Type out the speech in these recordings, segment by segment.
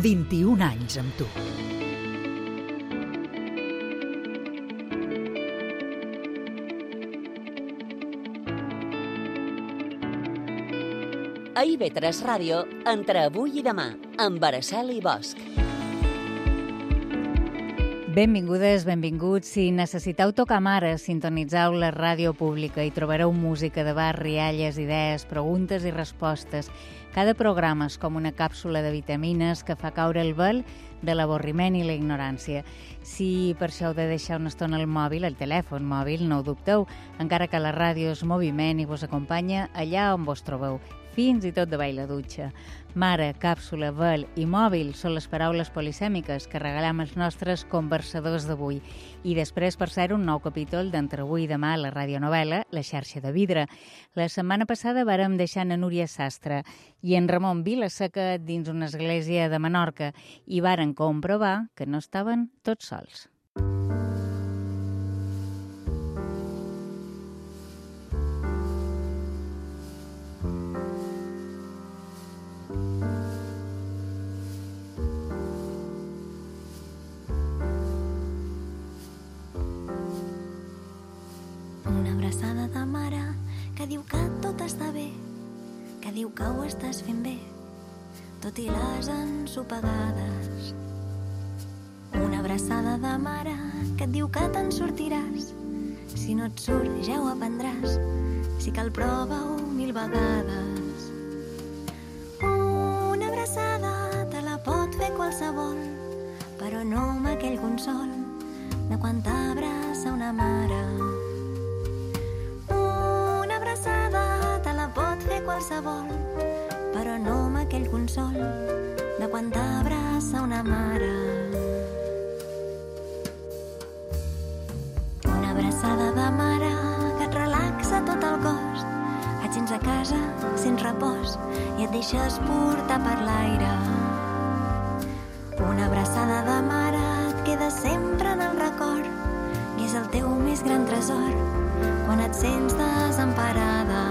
21 anys amb tu. A IB3 Ràdio, entre avui i demà, amb Araceli Bosch. Benvingudes, benvinguts. Si necessiteu tocar mare, sintonitzeu la ràdio pública i trobareu música de bar, rialles, idees, preguntes i respostes. Cada programa és com una càpsula de vitamines que fa caure el vel de l'avorriment i la ignorància. Si per això heu de deixar una estona el mòbil, el telèfon mòbil, no ho dubteu, encara que la ràdio és moviment i vos acompanya allà on vos trobeu, fins i tot de ball la dutxa. Mare, càpsula, vel i mòbil són les paraules polisèmiques que regalem als nostres conversadors d'avui. I després, per ser un nou capítol d'Entre avui i demà a la radionovel·la La xarxa de vidre. La setmana passada vàrem deixar a Núria Sastre i en Ramon Vilaseca dins una església de Menorca i varen comprovar que no estaven tots sols. De mare que diu que tot està bé, que diu que ho estàs fent bé, tot i les ensopegades. Una abraçada de mare que et diu que te'n sortiràs, si no et surt ja ho aprendràs, si cal prova-ho 1000 vegades. Una abraçada te la pot fer qualsevol, però no amb aquell consol de quan t'abraça una mare. Qualsevol, però no amb aquell consol de quan t'abraça una mare. Una abraçada de mare que et relaxa tot el cos, et sents a casa, sents repòs i et deixes portar per l'aire. Una abraçada de mare et queda sempre en el record i és el teu més gran tresor quan et sents desemparada.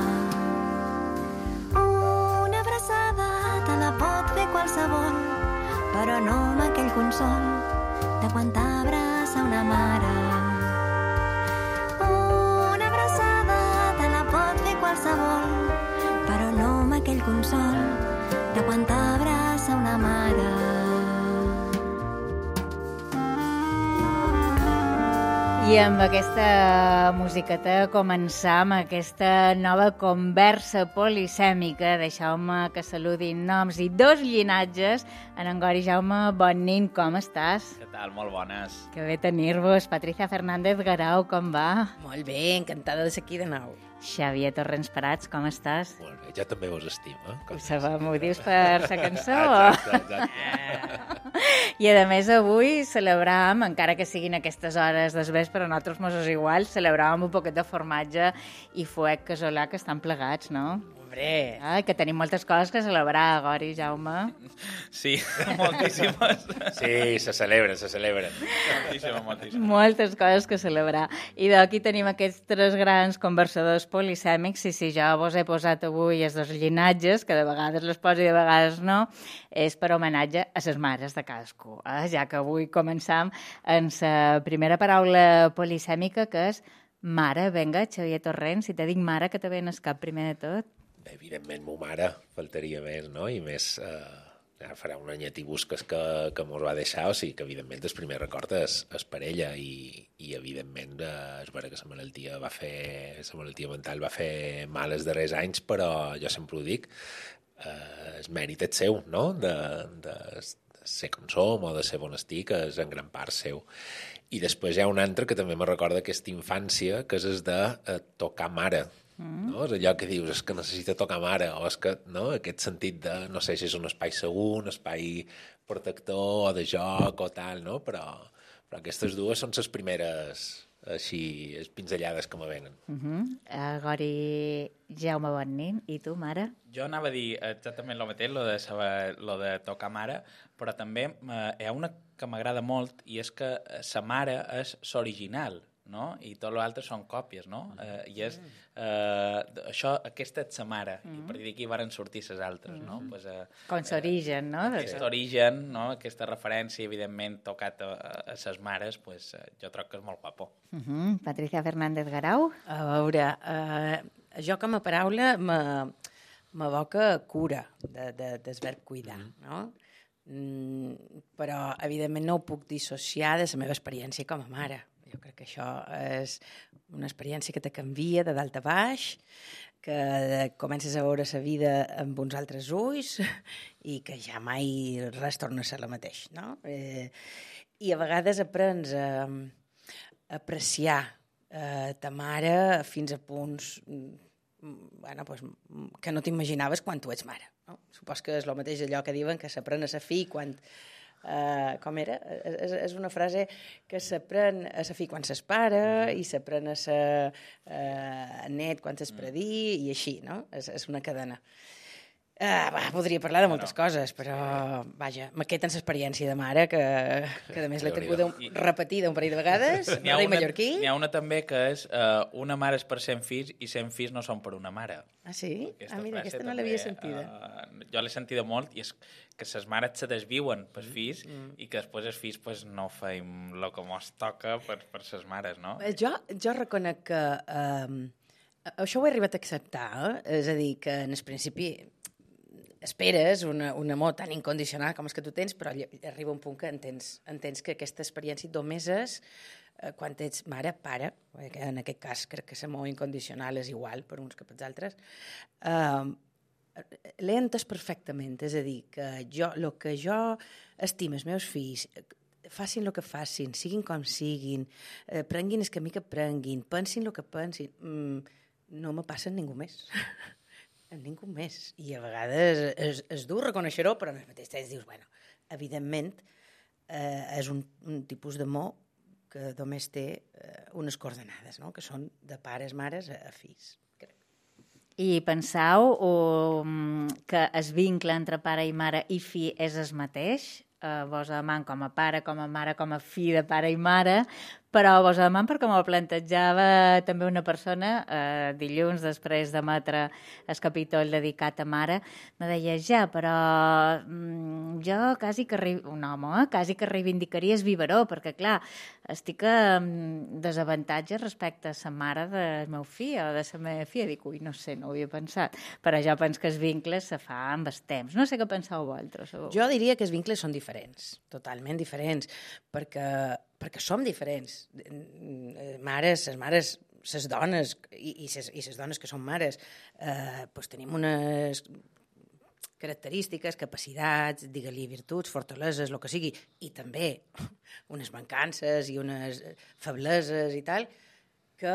Qualsevol, però no amb aquell consol de quan t'abraça una mare. Una abraçada te la pot fer qualsevol, però no amb aquell consol de quan t'abraça una mare. I amb aquesta musiqueta començam aquesta nova conversa polisèmica. Deixeu-me que saludin noms i dos llinatges. En Gori Jaume, bon nin, com estàs? Què tal? Molt bones. Que bé tenir-vos. Patricia Fernández Garau, com va? Molt bé, encantada de ser aquí de nou. Xavier Torrents Prats, com estàs? Molt bé, ja també vos estimo. Ho sabem, ho dius per la cançó? Exacte. I a més avui celebràvem, encara que siguin aquestes hores després, però a nosaltres mos és igual, celebràvem un poquet de formatge i fuet casolà que estan plegats, no? Hombre! Que tenim moltes coses que celebrar, Gori, Jaume. Sí, moltíssimes. Sí, se celebren. Moltíssimes. Moltes coses que celebrar. I d'aquí tenim aquests tres grans conversadors polisèmics, i si jo vos he posat avui els dos llinatges, que de vegades les poso i de vegades no, és per homenatge a les mares de cadascú. Ja que avui començam amb la primera paraula polisèmica, que és mare. Vinga, Xavier Torrents, si te dic mare, que te ve en el cap primer de tot? Evidentment, mo mare, faltaria més, no? I més, farà un anyet i busques que mos va deixar, o sigui que, evidentment, el primer record és per ella i evidentment, és vera que la malaltia mental va fer mal els darrers anys, però jo sempre ho dic, el mèrit és seu, no?, de ser com som o de ser bon estic, és en gran part seu. I després hi ha un altre que també me recorda aquesta infància, que és el de tocar mare. No? És allò que dius, és que necessita tocar mare, o és que, no?, aquest sentit de, no sé si és un espai segur, un espai protector, o de joc, o tal, no? Però aquestes dues són les primeres, així, pinzellades que me venen. Gori Jaume Bonnin, i tu, mare? Jo anava a dir exactament el mateix, lo de tocar mare, però també hi ha una que m'agrada molt, i és que sa mare és l'original. no? I tot l'altre són còpies, no? I és... aquesta és sa mare, i a partir d'aquí varen sortir ses altres, no? Pues, Com s'origen, no? Aquest origen, no? Aquesta referència, evidentment, tocat a ses mares, pues, jo troc que és molt guapo. Patricia Fernández Garau? A veure, jo com a paraula m'evoca cura, del verb cuidar, no? Però, evidentment, no ho puc dissociar de la meva experiència com a mare. Jo crec que això és una experiència que te canvia de dalt a baix, que comences a veure la vida amb uns altres ulls i que ja mai res torna a ser la mateix, no? I a vegades aprens a apreciar ta mare fins a punts que no t'imaginaves quan tu ets mare. No? Supos que és el mateix allò que diuen que s'aprèn a ser fill quan... com era? És una frase que s'aprèn a ser fill quan s'és pare i s'aprèn a ser net quan s'és predí i així, no? És una cadena. Podria parlar de moltes coses, però, vaja, m'aqueten l'experiència de mare, que a més l'he tingut repetida un parell de vegades, no rei mallorquí. N'hi ha una també que és una mare és per 100 fills i 100 fills no són per una mare. Ah, sí? Mira, aquesta no l'havia sentida. Jo l'he sentida molt, i és que les mares se desviuen pels fills i que després els fills pues, no feim el que mos toca per les mares, no? Jo reconec que això ho he arribat a acceptar, és a dir, que en el principi esperes un amor tan incondicional com el que tu tens, però arriba un punt que entens que aquesta experiència només és quan ets mare, pare, que en aquest cas crec que l'amor incondicional és igual per uns que per altres, l'he entès perfectament, és a dir, que el que jo estimo els meus fills, facin el que facin, siguin com siguin, prenguin el camí que prenguin, pensin el que pensin, no me passa amb ningú més. Amb ningú més. I a vegades és dur reconèixer-ho, però al mateix temps dius, bueno, evidentment és un tipus d'amor que només té unes coordenades, no? Que són de pares, mares a fills. I penseu que el vincle entre pare i mare i fill és el mateix? Vos amant com a pare, com a mare, com a fill de pare i mare, però vos amant perquè m'ho plantejava també una persona dilluns després d'emetre el capítol dedicat a mare, me deia, ja, però jo quasi que un home, quasi que reivindicaria el biberó, perquè clar, estic en desavantatge respecte a la mare del meu fill o de la meva filla. Dic, ui, no sé, no ho havia pensat, però jo penso que els vincles se fa amb el temps. No sé què penseu vosaltres. Jo diria que els vincles són diferents, totalment diferents, perquè som diferents. Mares, les dones i les dones que són mares, tenim unes característiques, capacitats, digue-li virtuts, fortaleses, el que sigui, i també unes mancances i unes febleses i tal, que,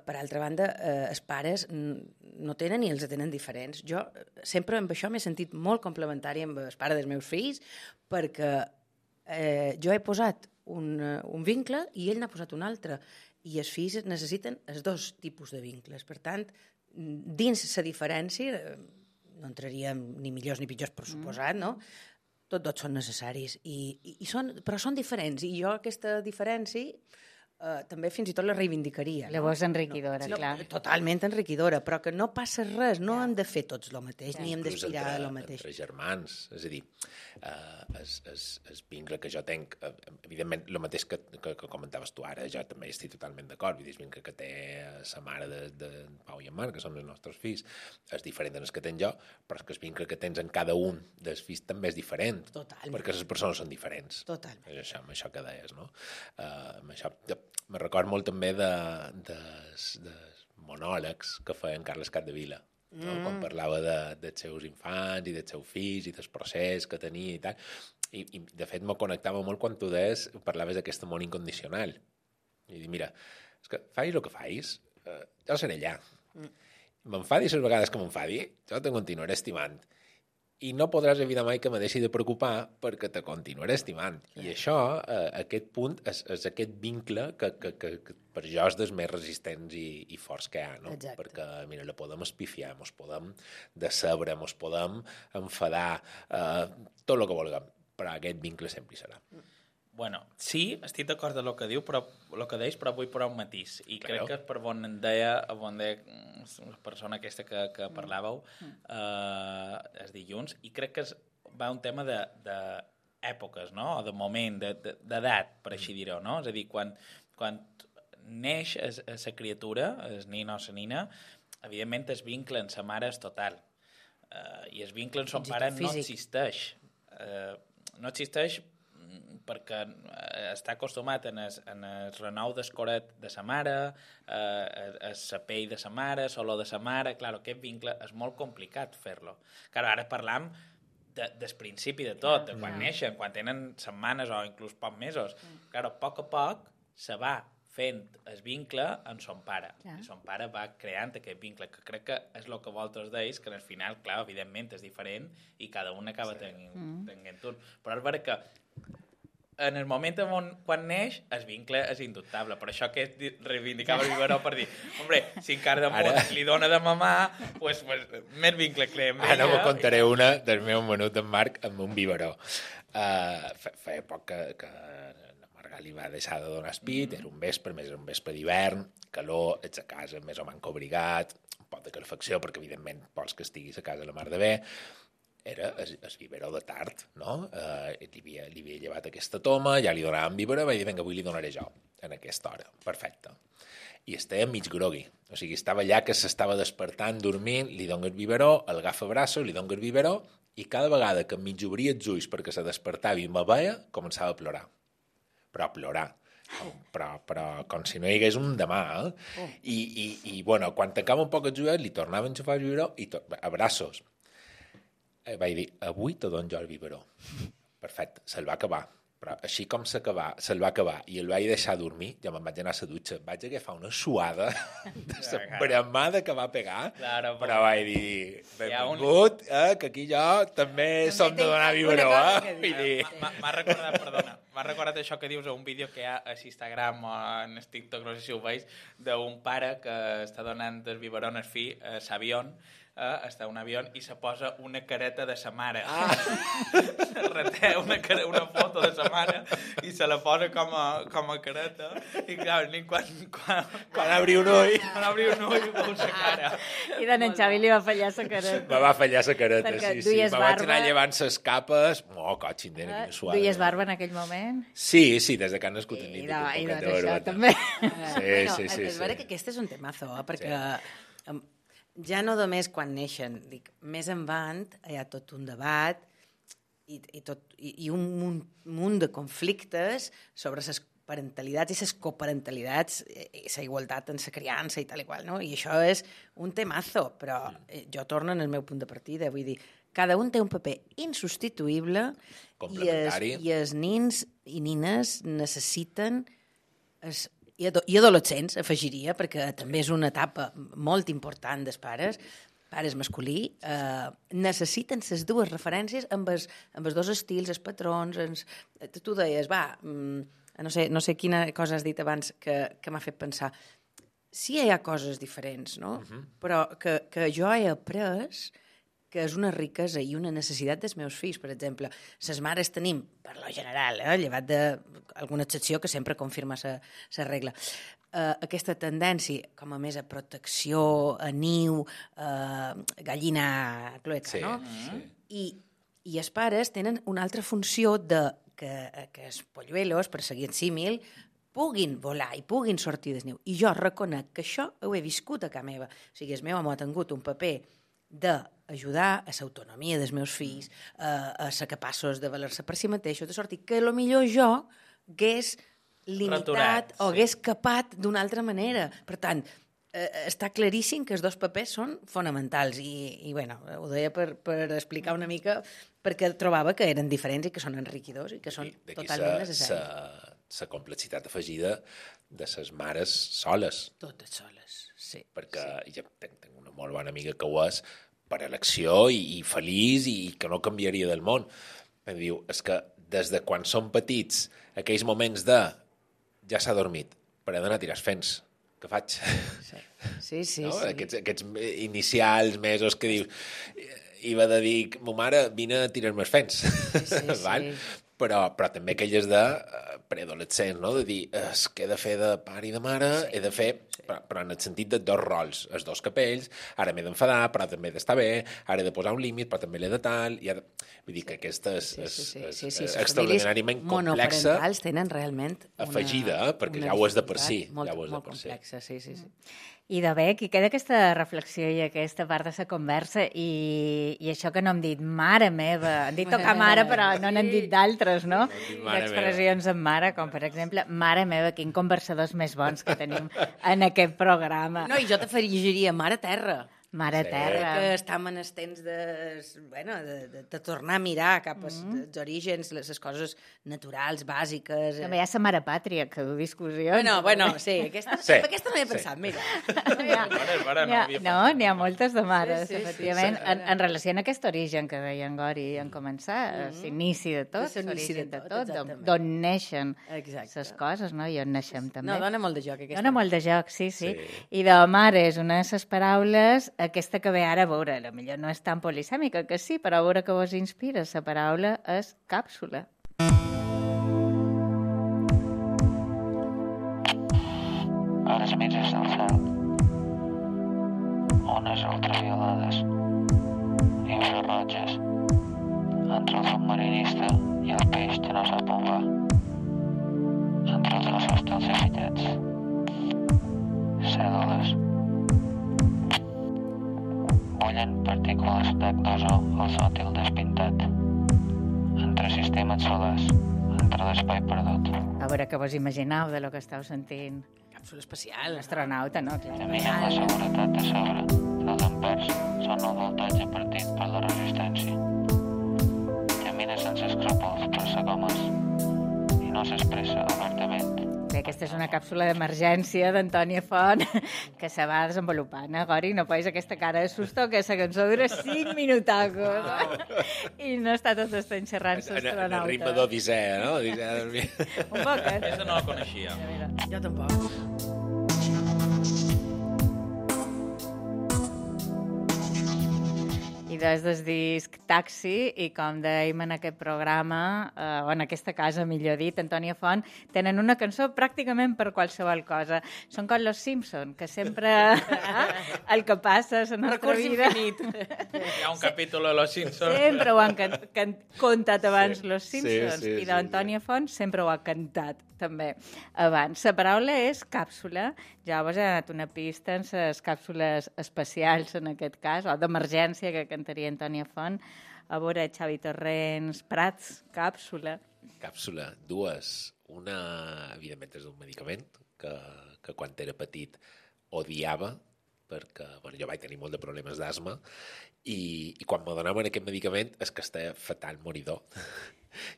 per altra banda, els pares no tenen ni els tenen diferents. Jo sempre amb això m'he sentit molt complementari amb el pare dels meus fills, perquè jo he posat un vincle i ell n'ha posat un altre, i els fills necessiten els dos tipus de vincles. Per tant, dins la diferència, no entraríem ni millors ni pitjors, per suposat, no? Tots són necessaris, però són diferents, i jo aquesta diferència també fins i tot la reivindicaria. Llavors enriquidora, clar. Totalment enriquidora, però que no passa res, no hem de fer tots el mateix, ni hem d'aspirar a el mateix. Entre germans, és a dir, el vincle que jo tenc, evidentment, el mateix que comentaves tu ara, jo també estic totalment d'acord, vull dir, el vincle que té la mare de Pau i en Marc, que són els nostres fills, és diferent del que tenc jo, però és que el vincle que tens en cada un dels fills també és diferent, perquè les persones són diferents. Totalment. Amb això que deies, no? Amb això... Me record molt també dels monòlegs que feia en Carles Capdevila, no? Quan parlava dels seus infants i dels seus fills i del procés que tenia i tal. I de fet, me connectava molt quan tu parlaves d'aquest amor incondicional. I dic, mira, és que facis el que facis, jo seré allà. M'enfadi les vegades que m'enfadi, jo te continuaré estimant. I no podràs evitar mai que me deixi de preocupar perquè te continuaré estimant. I això, aquest punt, és aquest vincle que per jo és dels més resistents i forts que hi ha, no? Exacte. Perquè, mira, la podem espifiar, mos podem decebre, mos podem enfadar, tot el que vulguem, però aquest vincle sempre hi serà. Bueno, sí, estic d'acord amb el que diu, però vull posar un matís. I crec que per on deia la persona aquesta que parlàveu els dilluns, i crec que va un tema d'èpoques, no? O de moment, d'edat, per així dir-ho, no? És a dir, quan neix la criatura, el nin o la nina, evidentment el vincle amb la mare és total. I el vincle amb son pare no existeix. No existeix perquè està acostumat en el renou d'escoret de sa mare, a la pell de sa mare, l'olor de sa mare. Clar, aquest vincle és molt complicat fer-lo. Clar, ara parlam del principi de tot, de quan neixen, quan tenen setmanes o inclús pocs mesos. Clar, a poc se va fent el vincle amb son pare. I son pare va creant aquest vincle, que crec que és el que vosaltres deis, que al final, clar, evidentment és diferent i cada un acaba tenint un. Però és vera que en el moment quan neix, el vincle és indubtable. Per això que reivindicava el biberó per dir, hombre, si encara de molt li dona de mamar, pues més vincle creem. Ara me contaré una del meu menut d'en Marc amb un biberó. Feia poc que la Marga li va deixar de donar espit, era un vespre, més era un vespre d'hivern, calor, ets a casa més o manco obligat, un pot de calefacció, perquè evidentment vols que estiguis a casa la mar de bé. Era el biberó de tard, no? Li havia llevat aquesta toma, ja li donàvem biberó, vaig dir, vinga, avui li donaré jo, en aquesta hora. Perfecte. I estava mig grogui. O sigui, estava allà que s'estava despertant, dormint, li dono el biberó, el agafa braços, li dono el biberó, i cada vegada que mig obria els ulls perquè se despertava i me veia, començava a plorar. Però a plorar. Però com si no hi hagués un demà, eh? I bueno, quan tancava un poc els ulls, li tornava a enxufar el biberó i a braços. Vaig dir, avui te dono jo el biberó. Perfecte, se'l va acabar. Però així com se'l va acabar i el vaig deixar dormir, ja me'n vaig anar a la dutxa. Vaig agafar una suada de la bramada que va pegar, però vaig dir, benvingut, que aquí jo també som de donar biberó. M'ha recordat això que dius a un vídeo que hi ha a Instagram o en TikTok, no sé si ho veus, d'un pare que està donant el biberó al fill a l'avió, està a un avió i se posa una careta de sa mare. Reté una foto de sa mare i se la posa com a careta. I clar, quan obri un ull veu sa cara. I d'en Xavi li va fallar sa careta. Me va fallar sa careta, perquè sí. Me vaig anar llevant ses capes. Cotxindera, quina suada. Duies barba en aquell moment? Sí, des de que han nascut en nit. I doncs això també. Sí. És vera que aquest és un temazo, perquè ja no només quan neixen, dic, més endavant hi ha tot un debat i un munt de conflictes sobre les parentalitats i les coparentalitats i la igualtat en la criança i tal i qual, no? I això és un temazo, però jo torno en el meu punt de partida, vull dir, cada un té un paper insubstituïble i els nins i nines necessiten i adolescents, afegiria, perquè també és una etapa molt important dels pares masculí, necessiten les dues referències amb els dos estils, els patrons. Tu deies, no sé quina cosa has dit abans que m'ha fet pensar. Sí, hi ha coses diferents, no? Però que jo he après que és una riquesa i una necessitat dels meus fills. Per exemple, les mares tenim, per lo general, llevat d'alguna excepció que sempre confirma la regla, aquesta tendència com a més a protecció, a niu, gallina clueca, no? Sí. I els pares tenen una altra funció que els polluelos, per seguir en símil, puguin volar i puguin sortir del niu. I jo reconec que això ho he viscut a casa meva. O sigui, el meu home ha tingut un paper d'ajudar a l'autonomia dels meus fills, a ser capaços de valer-se per si mateixos, de sortir, que potser jo hagués limitat o hagués capat d'una altra manera. Per tant, està claríssim que els dos papers són fonamentals i bueno, ho deia per explicar una mica perquè trobava que eren diferents i que són enriquidors i que són totalment necessaris. La complexitat afegida de les mares soles. Totes soles, sí. Perquè ja tinc una molt bona amiga que ho és per elecció i feliç i que no canviaria del món. Em diu, és que des de quan som petits, aquells moments de ja s'ha dormit, però he d'anar a tirar fents. Què faig? Sí. No? Aquests inicials, mesos que dius... I va de dir, ma mare, vine a tirar-me els fents. Sí. Però també aquelles de... preadolescent, no? De dir, és que he de fer de pare i de mare, he de fer, però en el sentit de dos rols, els dos capells, ara m'he d'enfadar, però també he d'estar bé, ara he de posar un límit, però també l'he de tal, i ara... Vull dir que aquesta és extraordinàriament complexa, monoparentals tenen realment afegida, perquè ja ho és de per si. Molt complexa, sí. I de bé, aquí queda aquesta reflexió i aquesta part de la conversa i això que no hem dit mare meva, han dit tocar mare però no n'han dit d'altres, no? D'expressions en mare, com per exemple mare meva, quin conversadors més bons que tenim en aquest programa. No, i jo t'afegiria mare terra. Mare terra. Que estem en els temps de tornar a mirar cap als orígens, les coses naturals, bàsiques. També hi ha la mare pàtria, que du discussió. Bueno, sí, aquesta no hi he pensat, mira. N'hi ha moltes de mares, efectivament, en relació amb aquest origen que deia en Gori en començar, l'inici de tot, l'origen de tot, d'on neixen les coses, no? I on naixem també. No, dona molt de joc, aquesta. Dona molt de joc, sí. I de mare és una de les paraules, aquesta que ve ara a veure, potser no és tan polisèmica, que sí, però a veure que vos inspira, la paraula és càpsula. A les mitges del cel, ones ultraviolades, infrarroges, entre el submarinista i el peix que no sap on va, entre els ossos dels afillats, cèl·lules, bullen partícules d'H2O al sòtil despintat, entre sistemes solars, entre l'espai perdut. A veure què vos imagineu de lo que esteu sentint. Càpsula espacial. Astronauta, no? Clar. Caminen la seguretat de sobre, els ampers són el voltatge partit per la resistència. Camina sense escrúpols per ser gomes i no s'expressa obertament. Bé, aquesta és una càpsula d'emergència d'Antònia Font que se va desenvolupant, Gori? No posis aquesta cara de susto que la cançó dura 5 minutacos i no està tot estant xerrant l'astronauta. En el ritme d'Odissea, no? Un poc, Aquesta no la coneixia. Jo tampoc. I des del disc Taxi, i com dèiem en aquest programa, o en aquesta casa, millor dit, Antònia Font, tenen una cançó pràcticament per qualsevol cosa. Són com Los Simpson, que sempre el que passa a la nostra vida... Hi ha un capítol de Los Simpson. Sempre ho han contat abans Los Simpsons, i d'Antònia Font sempre ho ha cantat també abans. La paraula és càpsula. Ja vos he donat una pista en les càpsules especials, en aquest cas, o d'emergència, que cantaria Antònia Font. A veure, Xavi Torrents, Prats, càpsula. Càpsula, dues. Una, evidentment, és un medicament que quan era petit odiava, perquè jo vaig tenir molt de problemes d'asma, i quan me donaven aquest medicament és que estava fatal moridor.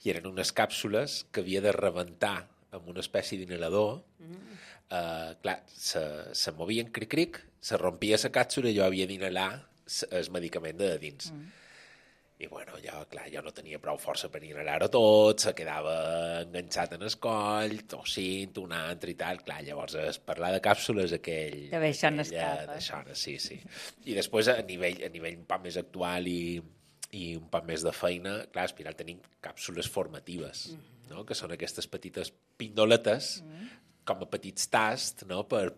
I eren unes càpsules que havia de rebentar amb una espècie d'inhalador. Clar, se movien cric-cric, se rompia la càpsula i jo havia d'inhalar el medicament de dins. I bueno, jo no tenia prou força per inhalar-ho tot, se quedava enganxat en el coll, tossint un altre i tal. Clar, llavors parlar de càpsules aquell... De bé, això no escapa. Sí. I després, a nivell un poc més actual i un poc més de feina, clar, a Espiral tenim càpsules formatives, no? Que són aquestes petites pindoletes com a petits tasts, no? per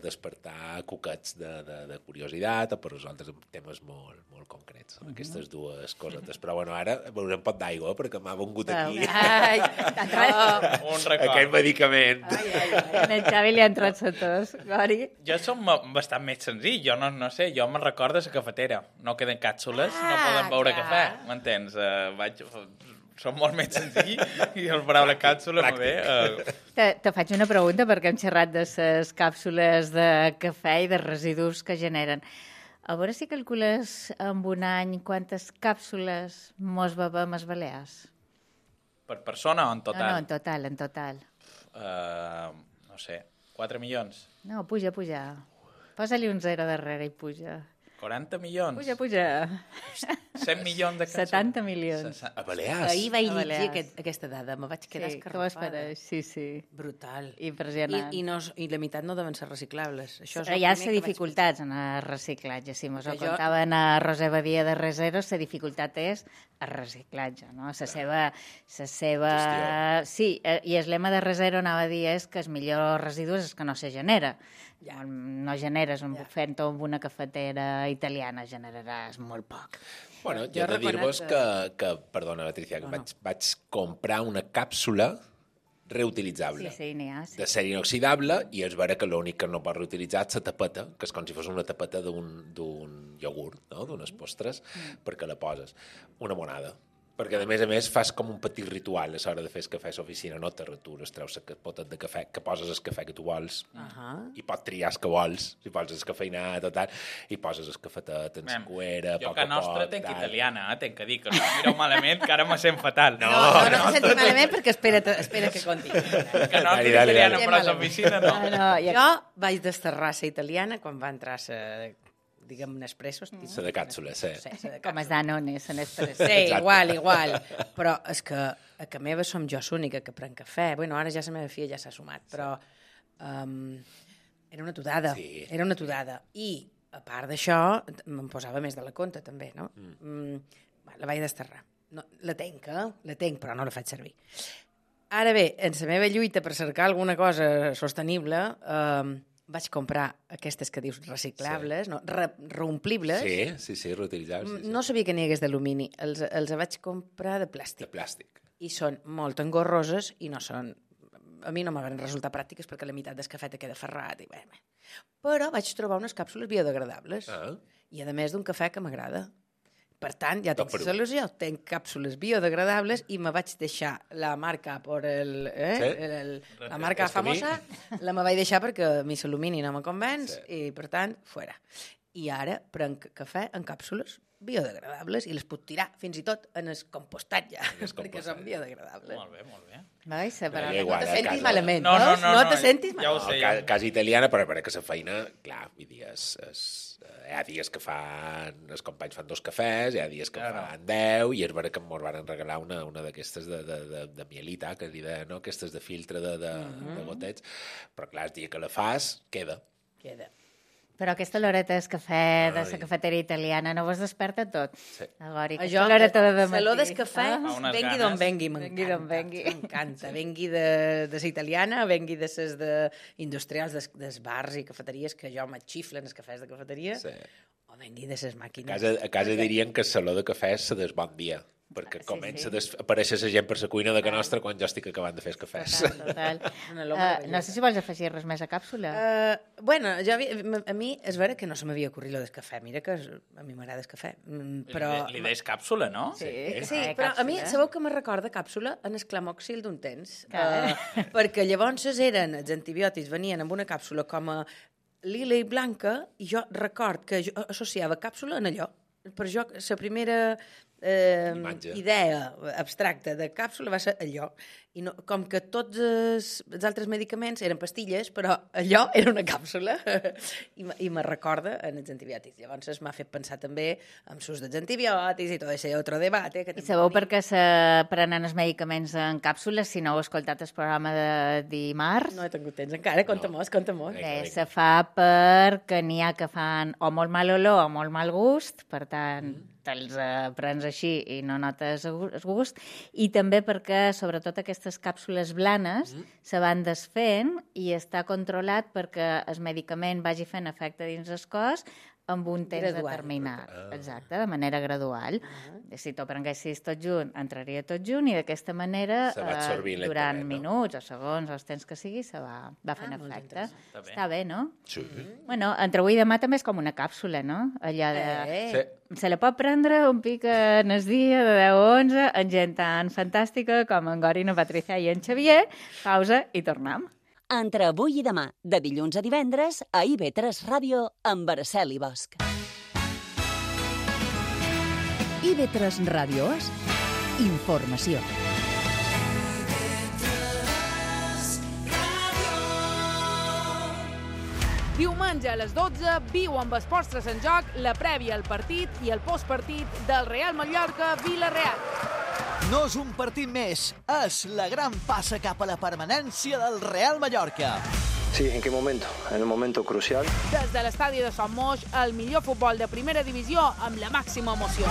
despertar cuquets de curiositat o per resoldre temes molt, molt concrets. Són aquestes dues cosetes. Però bueno, ara beurem un pot d'aigua perquè m'ha vengut aquí un record. aquell medicament. En el Xavi li ha entrat la tos, Gori. Jo som bastant més senzill, jo no sé, jo me'n recordo la cafetera. No queden càpsules, no poden beure cafè, m'entens? Som molt més senzill i el paraula càpsula no ve. Te faig una pregunta perquè hem xerrat de les càpsules de cafè i de residus que generen. A veure si calcules en un any quantes càpsules mos bebem els balears. Per persona o en total? No, en total. No sé, 4 milions? No, puja. Posa-li un 0 darrere i puja. 40 milions? Puja. 100 milions de cançons. 70 milions. A Balears. Ahir vaig A llegir Balears. aquesta dada, me vaig quedar Sí, què escarrafada. m'esperes? Sí. Brutal. Impressionant. I la meitat no deven ser reciclables. Això és Però el hi ha primer que vaig dificultats en el reciclatge. Si mos ho Que jo- contaven a Roser Badia de Resero, la dificultat és el reciclatge, no? La seva... Gestió. Sí, i el lema de Resero anava a dir és que el millor residu és el que no se genera. Ja. No generes fent-ho amb una cafetera italiana, generaràs molt poc. Bueno, Jo jo he de reconec dir-vos que, perdona, Patricia, que vaig comprar una càpsula reutilitzable. Sí, n'hi ha. Sí. De ser inoxidable, i és vera que l'únic que no pot reutilitzar és la tapeta, que és com si fos una tapeta d'un iogurt, no? D'unes postres, perquè la poses. Una monada. Perquè, a més, fas com un petit ritual a l'hora de fer el cafè a l'oficina, no te retures, treus el potet de cafè, que poses el cafè que tu vols, i pots triar el que vols, si poses el cafeinat o tal, i poses el cafetet en la cuera, Jo poc que a nostra poc, tenc tal. italiana, tenc que dir, que no em mireu malament, que ara me sent fatal. No te sento malament perquè espera que conti. Que nostra Dale, italiana dale. per a l'oficina, no. Jo vaig desterrar la italiana quan va entrar diguem, Nespresso. La de càpsula, sí. Com es Danone, se n'expressa. Sí, Exacte. igual. Però és que a casa meva som jo l'única que pren cafè. Bueno, ara ja la meva filla ja s'ha sumat, però era una tudada. Sí. Era una tudada. I, a part d'això, me'n posava més de la compte, també, no? La vaig desterrar. No, la tenc, però no la faig servir. Ara bé, en la meva lluita per cercar alguna cosa sostenible, vaig comprar aquestes que dius reciclables, no, reomplibles. Sí, reutilitzables. Sí. No sabia que n'hi hagués d'alumini. Els vaig comprar de De plàstic. plàstic. I són molt engorroses i no són... A mi no m'han resultat pràctiques perquè la meitat del cafè te queda ferrat. Però vaig trobar unes càpsules biodegradables. I a més d'un cafè que m'agrada. Per tant, ja tinc la solució. Tenc càpsules biodegradables i me vaig deixar la marca la marca famosa, la me vaig deixar perquè a mi l'alumini no me convenç i, per tant, fora. I ara prenc cafè en càpsules biodegradables i les puc tirar fins i tot en el compostatge, perquè són biodegradables. Molt bé. Vai, Però No igual, te a sentis casa- malament, No, veus? no, No te sentis ja ho malament. sé. Casa italiana, però perquè la feina, clar, vull dir, hi ha dies que els companys fan 2 cafès, hi ha dies que fan 10, i és vera que ens van regalar una d'aquestes de mielita, que li deien, no? Aquestes de filtre de gotets, però clar, el dia que la fas, queda. Queda. Però aquesta loreta del cafè de la cafetera italiana no vos desperta tot? Sí. Agora, Això, aquesta loreta de dematí. saló del cafè, Fa unes vengui ganes. d'on vengui, Vengui d'on vengui. m'encanta. Vengui de la italiana, vengui de les industrials dels bars i cafeteries, que jo m'atxiflen els cafès de cafeteria, Sí. o vengui de les màquines. A casa dirien que el saló de cafè és de bon dia, perquè comença a aparèixer la gent per la cuina de casa nostra quan jo estic acabant de fer els cafès. Total. Una olor No sé si vols afegir res més a càpsula. Bueno, a mi és vera que no se m'havia ocorrit lo del cafè. Mira que a mi m'agrada el cafè. Però... Li deies càpsula, no? Sí, Ah, però a mi càpsula. sabeu que me recorda càpsula en el clamòxil d'un temps. Perquè llavors els antibiòtics venien amb una càpsula com a lila i blanca i jo record que jo associava càpsula en allò. Per jo, la primera Imatge. idea abstracta de càpsula va ser allò. I no, com que tots els altres medicaments eren pastilles, però allò era una càpsula i me recorda en els antibiòtics. Llavors m'ha fet pensar també en l'ús dels antibiòtics i tot això altre debat. Que I sabeu per què se prenen els medicaments en càpsules si no heu escoltat el programa de dimarts? No he tingut temps encara, conta-mos. Se fa perquè n'hi ha que fan o molt mal olor o molt mal gust, per tant, te'ls prens així i no notes el gust, i també perquè, sobretot, aquestes càpsules blanes se van desfent i està controlat perquè el medicament vagi fent efecte dins el cos amb un temps Gradual. determinat. Exacte, de manera gradual. Si t'ho prenguessis tot junt, entraria tot junt i d'aquesta manera, Se va absorbint durant lentament, no? minuts o segons o els temps que sigui, se va fent efecte. Està bé. Està bé, no? Sí. Bueno, entre avui i demà també és com una càpsula, no? Allò de... Sí. Se la pot prendre un pic en el dia de 10 o 11 amb gent tan fantàstica com en Gorin, en Patricia i en Xavier. Pausa i tornem. Entre avui i demà, de dilluns a divendres, a IB3 Ràdio, amb Araceli Bosch. IB3 Ràdio és informació. Diumenge a les 12 viu amb Esports 3 en joc la prèvia al partit i el postpartit del Real Mallorca-Villarreal. No és un partit més, és la gran passa cap a la permanència del Real Mallorca. Sí, ¿en qué momento? En el momento crucial. Des de l'estadi de Son Moix, el millor futbol de primera divisió amb la màxima emoció.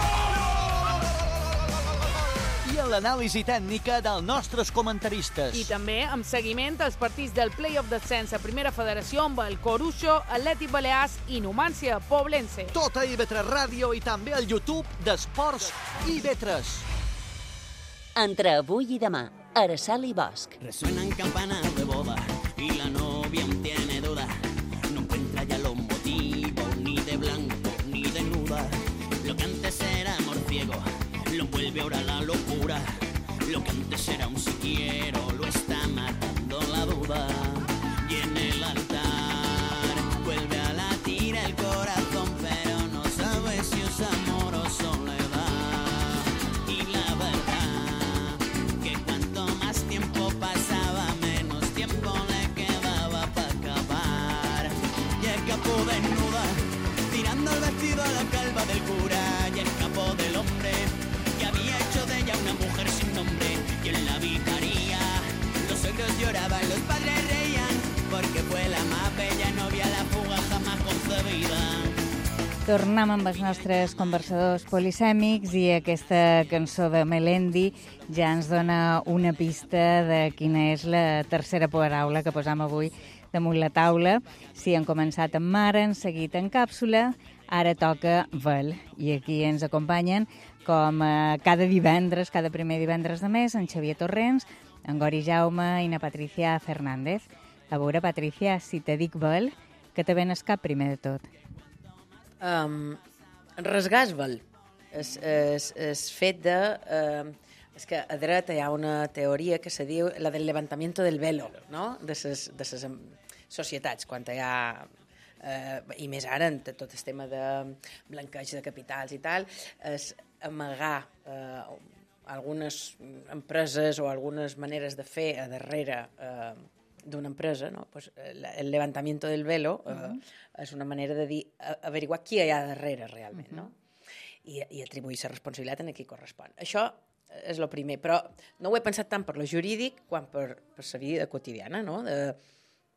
I en l'anàlisi tècnica dels nostres comentaristes. I també amb seguiment als partits del Play-off d'ascens a Primera Federació amb el Corucho, Atlètic Balears i Numància Poblense. Tot a IB3 Ràdio i també al YouTube d'Esports IB3. Entre avui i demà, Araceli Bosch. Resuenan campanas de boda y la novia aún tiene duda. No encuentra ya los motivos ni de blanco ni de nuda. Lo que antes era amor ciego lo vuelve ahora la locura. Lo que antes era un si quiero lo está matando la duda. Y en el altar vuelve a latir el corazón, pero no sabe si es amor o soledad. Y la verdad que cuanto más tiempo pasaba, menos tiempo le quedaba para acabar. Y escapó desnuda, tirando el vestido a la calva del cura. Y escapó del hombre que había hecho de ella una mujer sin nombre. Y en la vicaría los suegros lloraban, los padres reían, porque fue la más bella novia, la fuga jamás concebida. Tornem amb els nostres conversadors polisèmics i aquesta cançó de Melendi ja ens dona una pista de quina és la tercera paraula que posam avui damunt la taula. Si han començat amb mare, han seguit en càpsula, ara toca vel. I aquí ens acompanyen com cada divendres, cada primer divendres de mes, en Xavier Torrents, en Gori Jaume i na Patricia Fernández. A veure, Patricia, si te dic vel, què te ven al cap primer de tot? Rasgar-vel és fet de... és que a dreta hi ha una teoria que se diu la del levantamiento del velo, no? De ses societats, quan hi ha... i més ara, en tot el tema de blanqueig de capitals i tal, és amagar algunes empreses o algunes maneres de fer a darrere d'una empresa, no? Pues, el levantamiento del velo és una manera de dir, averiguar qui hi ha darrere realment, no? I atribuir la responsabilitat en qui correspon. Això és el primer, però no ho he pensat tant per lo jurídic quan per la vida quotidiana, no?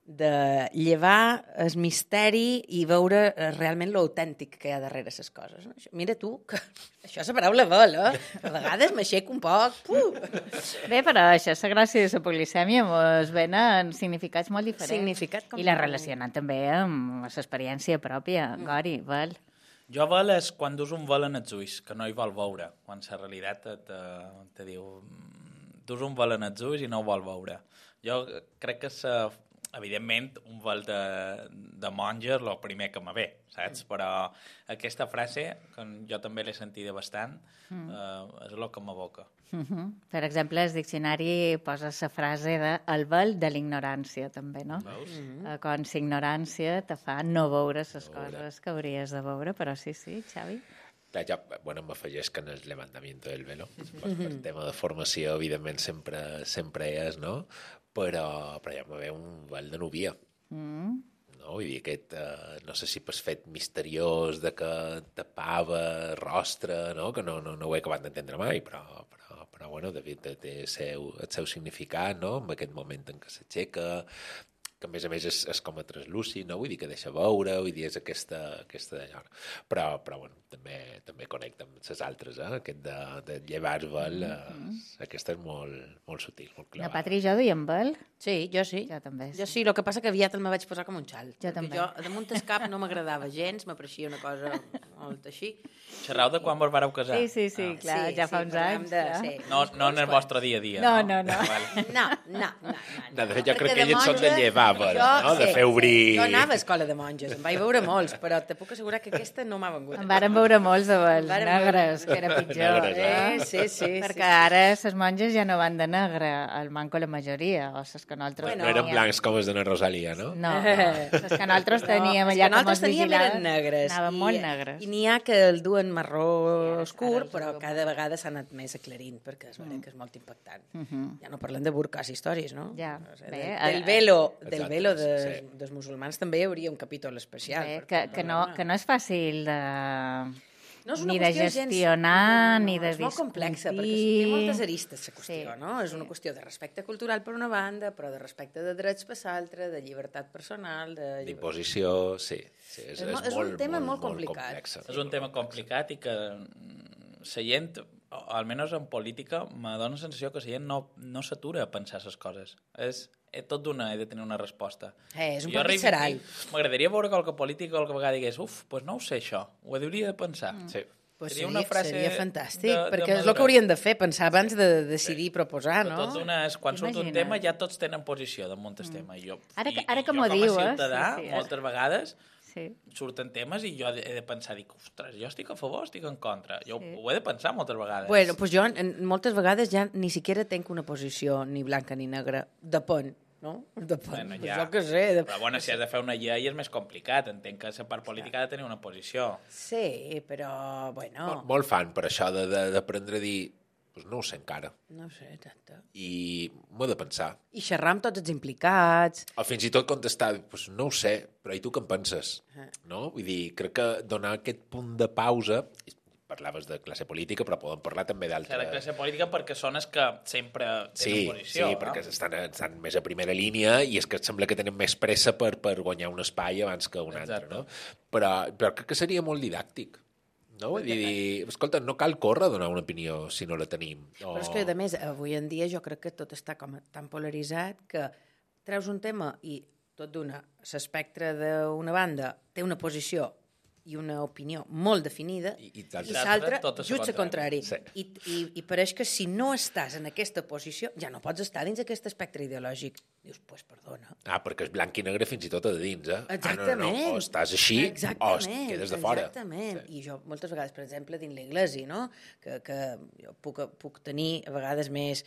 De llevar el misteri i veure realment l'autèntic que hi ha darrere les coses. No? Mira tu, que això és la paraula vel, eh? A vegades m'aixeco un poc. Bé, però això és la gràcia de la polisèmia, es venen significats molt diferents. I la relacionen també amb l'experiència pròpia. Gori, vel. Jo vel és quan dus un vel en els ulls, que no hi vol veure, quan la realitat te diu dus un vel en els ulls i no ho vol veure. Jo crec que evidentment, un vel de monja és el primer que me ve, saps? Però aquesta frase, que jo també l'he sentida bastant, és el que m'evoca. Per exemple, el diccionari posa la frase de el vel de l'ignorància, també, no? Veus? Quan l'ignorància te fa no veure les coses que hauries de veure, però sí, Xavi. Ja, bueno, m'afegeix que en el levantamiento del velo, per tema de formació, evidentment, sempre és, no? Però ja me ve un vel de novia. No? Vull dir, aquest, no sé si per fet misteriós de que tapava rostre, no? Que no ho he acabat d'entendre mai, però bueno, té el seu significat, no? En aquest moment en què s'aixeca, que a més és com a translúcid, no? Vull dir que deixa veure, vull dir, és aquesta d'allò. Però bueno, també connecta amb les altres, aquest de llevar-vel, aquesta és molt sutil, molt clara. La Patri i jo duiem vel? Sí, jo sí. Jo també. Jo sí, el que passa que aviat el me vaig posar com un xal. Jo també. Jo, damunt el cap no m'agradava gens, m'apareixia una cosa molt així. Xerrau de quan vos vareu casar? Sí, clar, ja fa uns anys. No en el vostre dia a dia. No. No. Jo crec que ells són de llevar-vel, no? De fer obrir... Jo anava a escola de monges, em vaig veure molts, però te puc assegurar que aquesta no m'ha vengut. Em varen veure molts de vels negres, que era pitjor. Sí. Perquè ara les monges ja no van de negre, el manco la majoria, o les que nosaltres no eren blancs com els de Rosalia, no? No, les que nosaltres teníem allà com els vigilades eren negres. Anaven molt negres. I N'hi ha que el duen marró oscur, però cada vegada s'ha anat més aclarint, perquè és veritat que és molt impactant. Ja no parlem de burques i històries, no? Ja. Del velo dels musulmans també hi hauria un capítol especial. Que no és fàcil de... No és ni de gestionar, ni de discutir. És molt complexa, perquè té moltes aristes, la qüestió, no? És una qüestió de respecte cultural per una banda, però de respecte de drets per l'altra, de llibertat personal... D'imposició, sí. És un tema molt complicat. És un tema complicat i que la gent, almenys en política, me dona la sensació que la gent no s'atura a pensar les coses. Tot d'una he de tenir una resposta. És un poc visceral. M'agradaria veure qualque polític o qualque vegada digués doncs no ho sé això, ho hauria de pensar. Sí. Seria fantàstic, perquè és el que haurien de fer, pensar abans de decidir proposar, no? Tot d'una, quan surt un tema ja tots tenen posició damunt el tema. Ara que m'ho dius, com a ciutadà, moltes vegades surten temes i jo he de pensar, ostres, jo estic a favor, estic en contra. Jo ho he de pensar moltes vegades. Bueno, doncs jo moltes vegades ja ni siquiera tenc una posició ni blanca ni negra. Depèn, no? Depèn, jo què sé. Però bueno, si has de fer una llei és més complicat. Entenc que la part política ha de tenir una posició. Sí, però, bueno... Molt fan per això d'aprendre a dir doncs no ho sé encara. No ho sé, exacte. I m'ho he de pensar. I xerrar amb tots els implicats. O fins i tot contestar, doncs no ho sé, però i tu què en penses? No? Vull dir, crec que donar aquest punt de pausa... Parlaves de classe política, però podem parlar també d'altres... De classe política perquè són els que sempre tenen posició. Sí, perquè estan més a primera línia i és que sembla que tenen més pressa per guanyar un espai abans que un altre, no? Però crec que seria molt didàctic. No? Vull dir, escolta, no cal córrer a donar una opinió si no la tenim. Però és que, a més, avui en dia jo crec que tot està com tan polaritzat que treus un tema i tot d'una, l'espectre d'una banda té una posició i una opinió molt definida i l'altra just el contrari. I pareix que si no estàs en aquesta posició ja no pots estar dins aquest espectre ideològic. Dius, doncs perdona. Perquè és blanc i negre fins i tot a dins, eh? Exactament. O estàs així o quedes de fora. Exactament. I jo moltes vegades, per exemple, dins l'Iglesi, no? Que jo puc tenir a vegades més...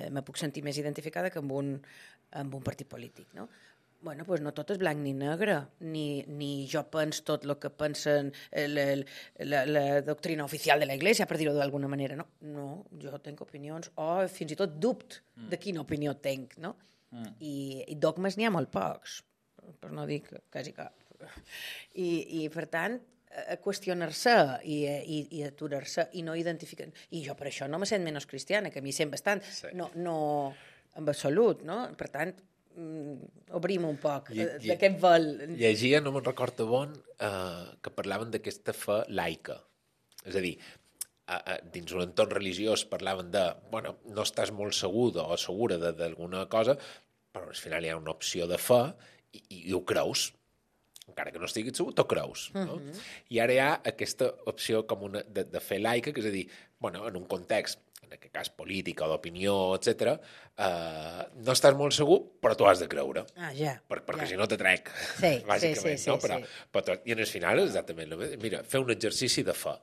me puc sentir més identificada que amb un partit polític, no? Bueno, doncs no tot és blanc ni negre, ni jo penso tot el que pensen la doctrina oficial de la Iglesia, per dir-ho d'alguna manera, no? No, jo tinc opinions, o fins i tot dubte de quina opinió tinc, no? I dogmes n'hi ha molt pocs, per no dir quasi cap. I per tant, qüestionar-se i aturar-se i no identificar... I jo per això no me sent menys cristiana, que a mi sent bastant, no en absolut, no? Per tant, obrim un poc d'aquest vol. Llegia, no me'n recordo bon, que parlaven d'aquesta fe laica. És a dir, dins un entorn religiós parlaven de, bueno, no estàs molt segur o segura d'alguna cosa, però al final hi ha una opció de fe i ho creus. Encara que no estiguis segur, t'ho creus. No? I ara hi ha aquesta opció com de fe laica, que és a dir, bueno, en un context, en aquest cas política o d'opinió, etc., no estàs molt segur, però tu has de creure. Perquè si no te trec, bàsicament. Però, i en el final és exactament el mateix. Mira, fer un exercici de fe.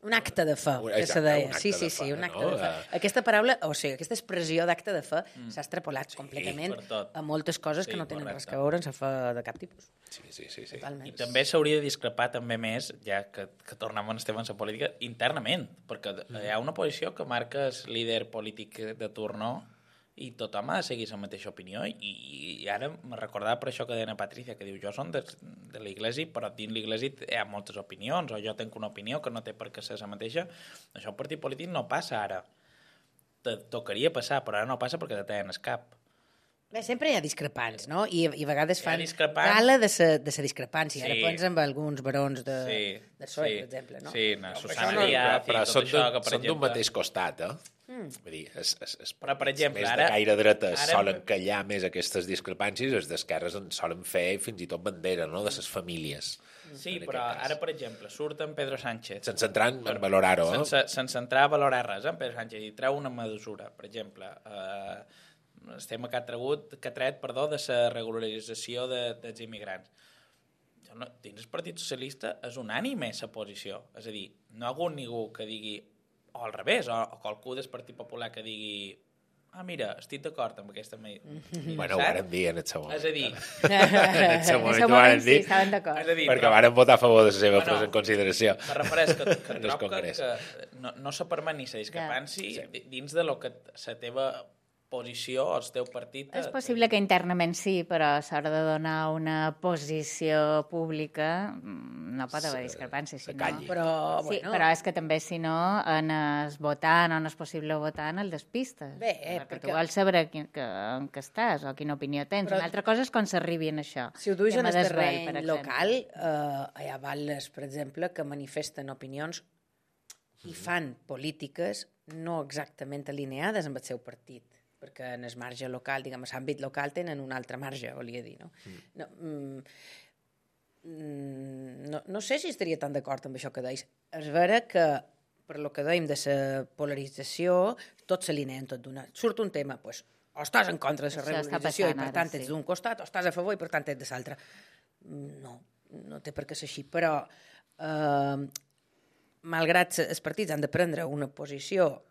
Un acte de fe, que se deia. Sí, un acte de fe. Aquesta paraula, o sigui, aquesta expressió d'acte de fe s'ha extrapolat completament a moltes coses que no tenen res a veure amb la fe de cap tipus. Sí. I també s'hauria de discrepar també més, ja que tornem a estem en la política, internament, perquè hi ha una posició que marca el líder polític de torno i tothom ha de seguir la mateixa opinió i ara me recordava per això que deia Patricia, que diu, jo som de l'Iglesi, però dins l'Iglesi hi ha moltes opinions, o jo tinc una opinió que no té per què ser la mateixa. Això un partit polític no passa ara. Tocaria passar, però ara no passa perquè te tenen el cap. Bé, sempre hi ha discrepants, no? I a vegades fan gala de la discrepància. Ara pensen amb alguns barons de PSOE, per exemple, no? Sí, Susana Díaz i tot això, que per exemple... Són d'un mateix costat, Vull dir, però, per exemple, més de gaire dreta solen callar més aquestes discrepàncies, els d'esquerres en solen fer fins i tot bandera, no?, de les famílies. Sí, però ara, per exemple, surt en Pedro Sánchez... Sense entrar en valorar-ho, Sense entrar a valorar res, en Pedro Sánchez, i treu una mesura, per exemple... el tema que ha tret de la regularització dels immigrants. Dins el Partit Socialista és unànime la posició. És a dir, no hi ha hagut ningú que digui, o al revés, o qualcú del Partit Popular que digui mira, estic d'acord amb aquesta... Bueno, ho vàrem dir en el seu moment. És a dir... En el seu moment ho vàrem dir. Sí, estaven d'acord. Perquè vàrem votar a favor de la seva presa en consideració. Me refereix que trob que no se permet ni se discrepanci dins de lo que la teva posició o el teu partit... És possible que internament sí, però a l'hora de donar una posició pública no pot haver discrepància. Si no... Però és que també, si no, en el votant o en el possible votant el despistes. Perquè tu vols saber en què estàs o quina opinió tens. Una altra cosa és quan s'arribi en això. Si ho duis en el terreny local, hi ha balles, per exemple, que manifesten opinions i fan polítiques no exactament alineades amb el seu partit, perquè en el marge local, diguem, a l'àmbit local tenen un altre marge, volia dir, no? No sé si estaria tan d'acord amb això que deis. És vera que, per lo que dèiem de la polarització, tot s'alinea en tot d'una. Surt un tema, doncs, o estàs en contra de la regularització i per tant ets d'un costat, o estàs a favor i per tant ets de l'altre. No té per què ser així, però malgrat els partits han de prendre una posició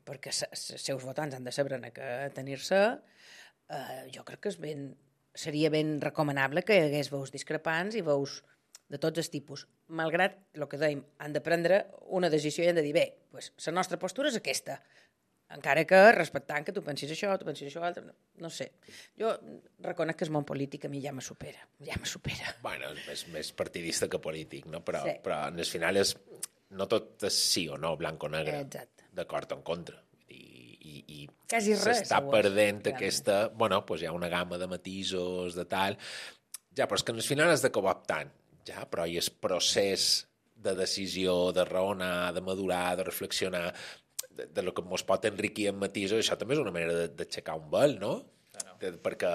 perquè els seus votants han de saber a què tenir-se, jo crec que seria ben recomanable que hi hagués veus discrepants i veus de tots els tipus. Malgrat el que dèiem, han de prendre una decisió i han de dir, bé, la nostra postura és aquesta, encara que respectant que tu pensis això, tu pensis això altre, no sé. Jo reconec que el món polític a mi ja me supera. Bueno, és més partidista que polític, no? Però en el final no tot és sí o no, blanc o negre. Exacte. D'acord o en contra. I quasi res. S'està perdent aquesta... Bueno, doncs hi ha una gamma de matisos, de tal... Ja, però és que al final has de cooptant. Ja, però hi és procés de decisió, de raonar, de madurar, de reflexionar, de lo que ens pot enriquir en matisos. Això també és una manera d'aixecar un vel, no? Perquè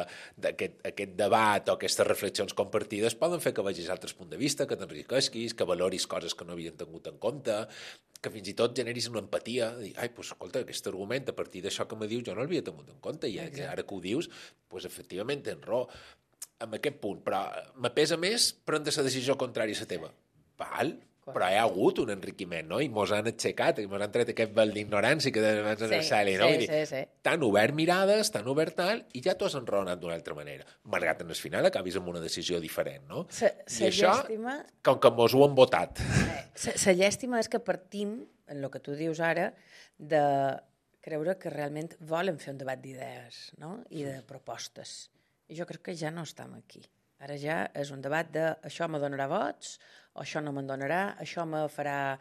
aquest debat o aquestes reflexions compartides poden fer que vegis altres punts de vista, que t'enriquesquis, que valoris coses que no havien tingut en compte, que fins i tot generis una empatia, dir, escolta, aquest argument a partir d'això que me dius jo no l'havia tingut en compte i ara que ho dius, efectivament tens raó en aquest punt, però me pesa més prendre la decisió contrària a la teva. Val? Però hi ha hagut un enriquiment, no? I mos han aixecat, i mos han tret aquest vel d'ignorància que deien abans en el Celi, no? Sí. T'han obert mirades, t'han obert tal, i ja t'ho has enraonat d'una altra manera. Malgrat en el final acabis amb una decisió diferent, no? I això, com que mos ho han votat. La llàstima és que partim, en el que tu dius ara, de creure que realment volen fer un debat d'idees, no? I de propostes. I jo crec que ja no estem aquí. Ara ja és un debat de això me donarà vots, o això no me'n donarà, això me farà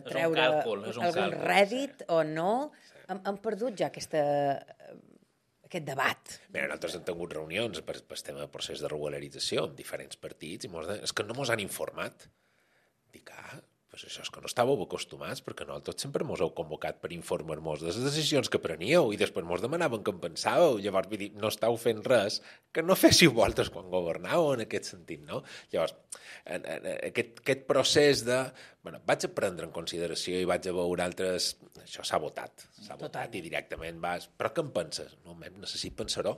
treure algun rèdit o no. Hem perdut ja aquest debat. Bé, nosaltres hem tingut reunions per el tema del procés de regularització amb diferents partits i és que no mos han informat. Dic, això és que no estàveu acostumats, perquè nosaltres sempre mos heu convocat per informar-nos de les decisions que preníeu i després mos demanaven què en pensàveu. Llavors, vull dir, no estàu fent res que no féssiu vosaltres quan governàveu en aquest sentit, no? Llavors, aquest procés de... Bueno, vaig a prendre en consideració i vaig a veure altres... Això s'ha votat i directament vas... Però què en penses? No, necessito pensar-ho.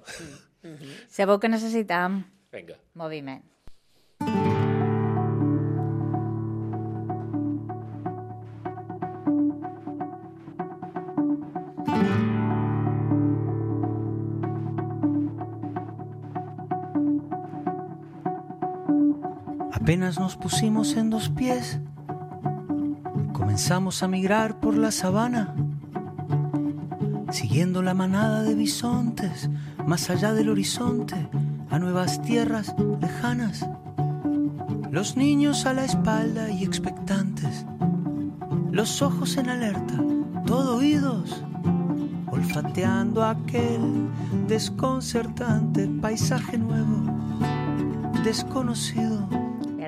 Sabeu que necessitam? Vinga. Moviment. Apenas nos pusimos en dos pies, comenzamos a migrar por la sabana, siguiendo la manada de bisontes, más allá del horizonte, a nuevas tierras lejanas. Los niños a la espalda y expectantes, los ojos en alerta, todo oídos, olfateando aquel desconcertante paisaje nuevo, desconocido.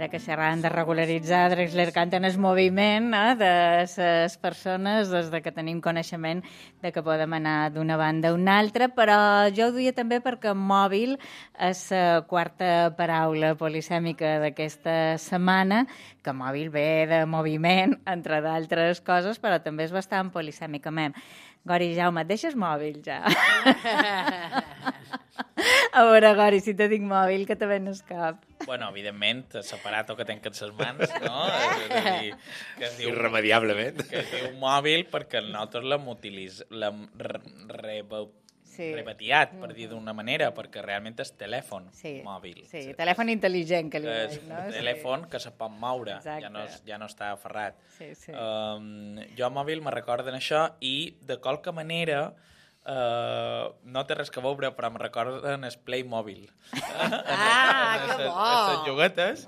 Ara que xerrant de regularitzar, Drexler canta en el moviment de les persones des de que tenim coneixement de que podem anar d'una banda a una altra, però jo ho duia també perquè mòbil és la quarta paraula polisèmica d'aquesta setmana, que mòbil ve de moviment, entre d'altres coses, però també és bastant polisèmicament. Gori, Jaume, et deixes mòbil ja? A veure, Gori, si te dic mòbil, que te ven el cap. Bueno, evidentment, separat o que tenc en ses mans, no? És a dir, que es diu... Irremediablement. Que es diu mòbil perquè nosaltres l'hem rebatiat, per dir d'una manera, perquè realment és telèfon mòbil. Sí, telèfon intel·ligent, que li és dic, no? telèfon que se pot moure, ja no està aferrat. Jo mòbil me recorden això i de qualque manera no té res que veure, però em recorden el Playmobil. Que bo! Les lloguetes.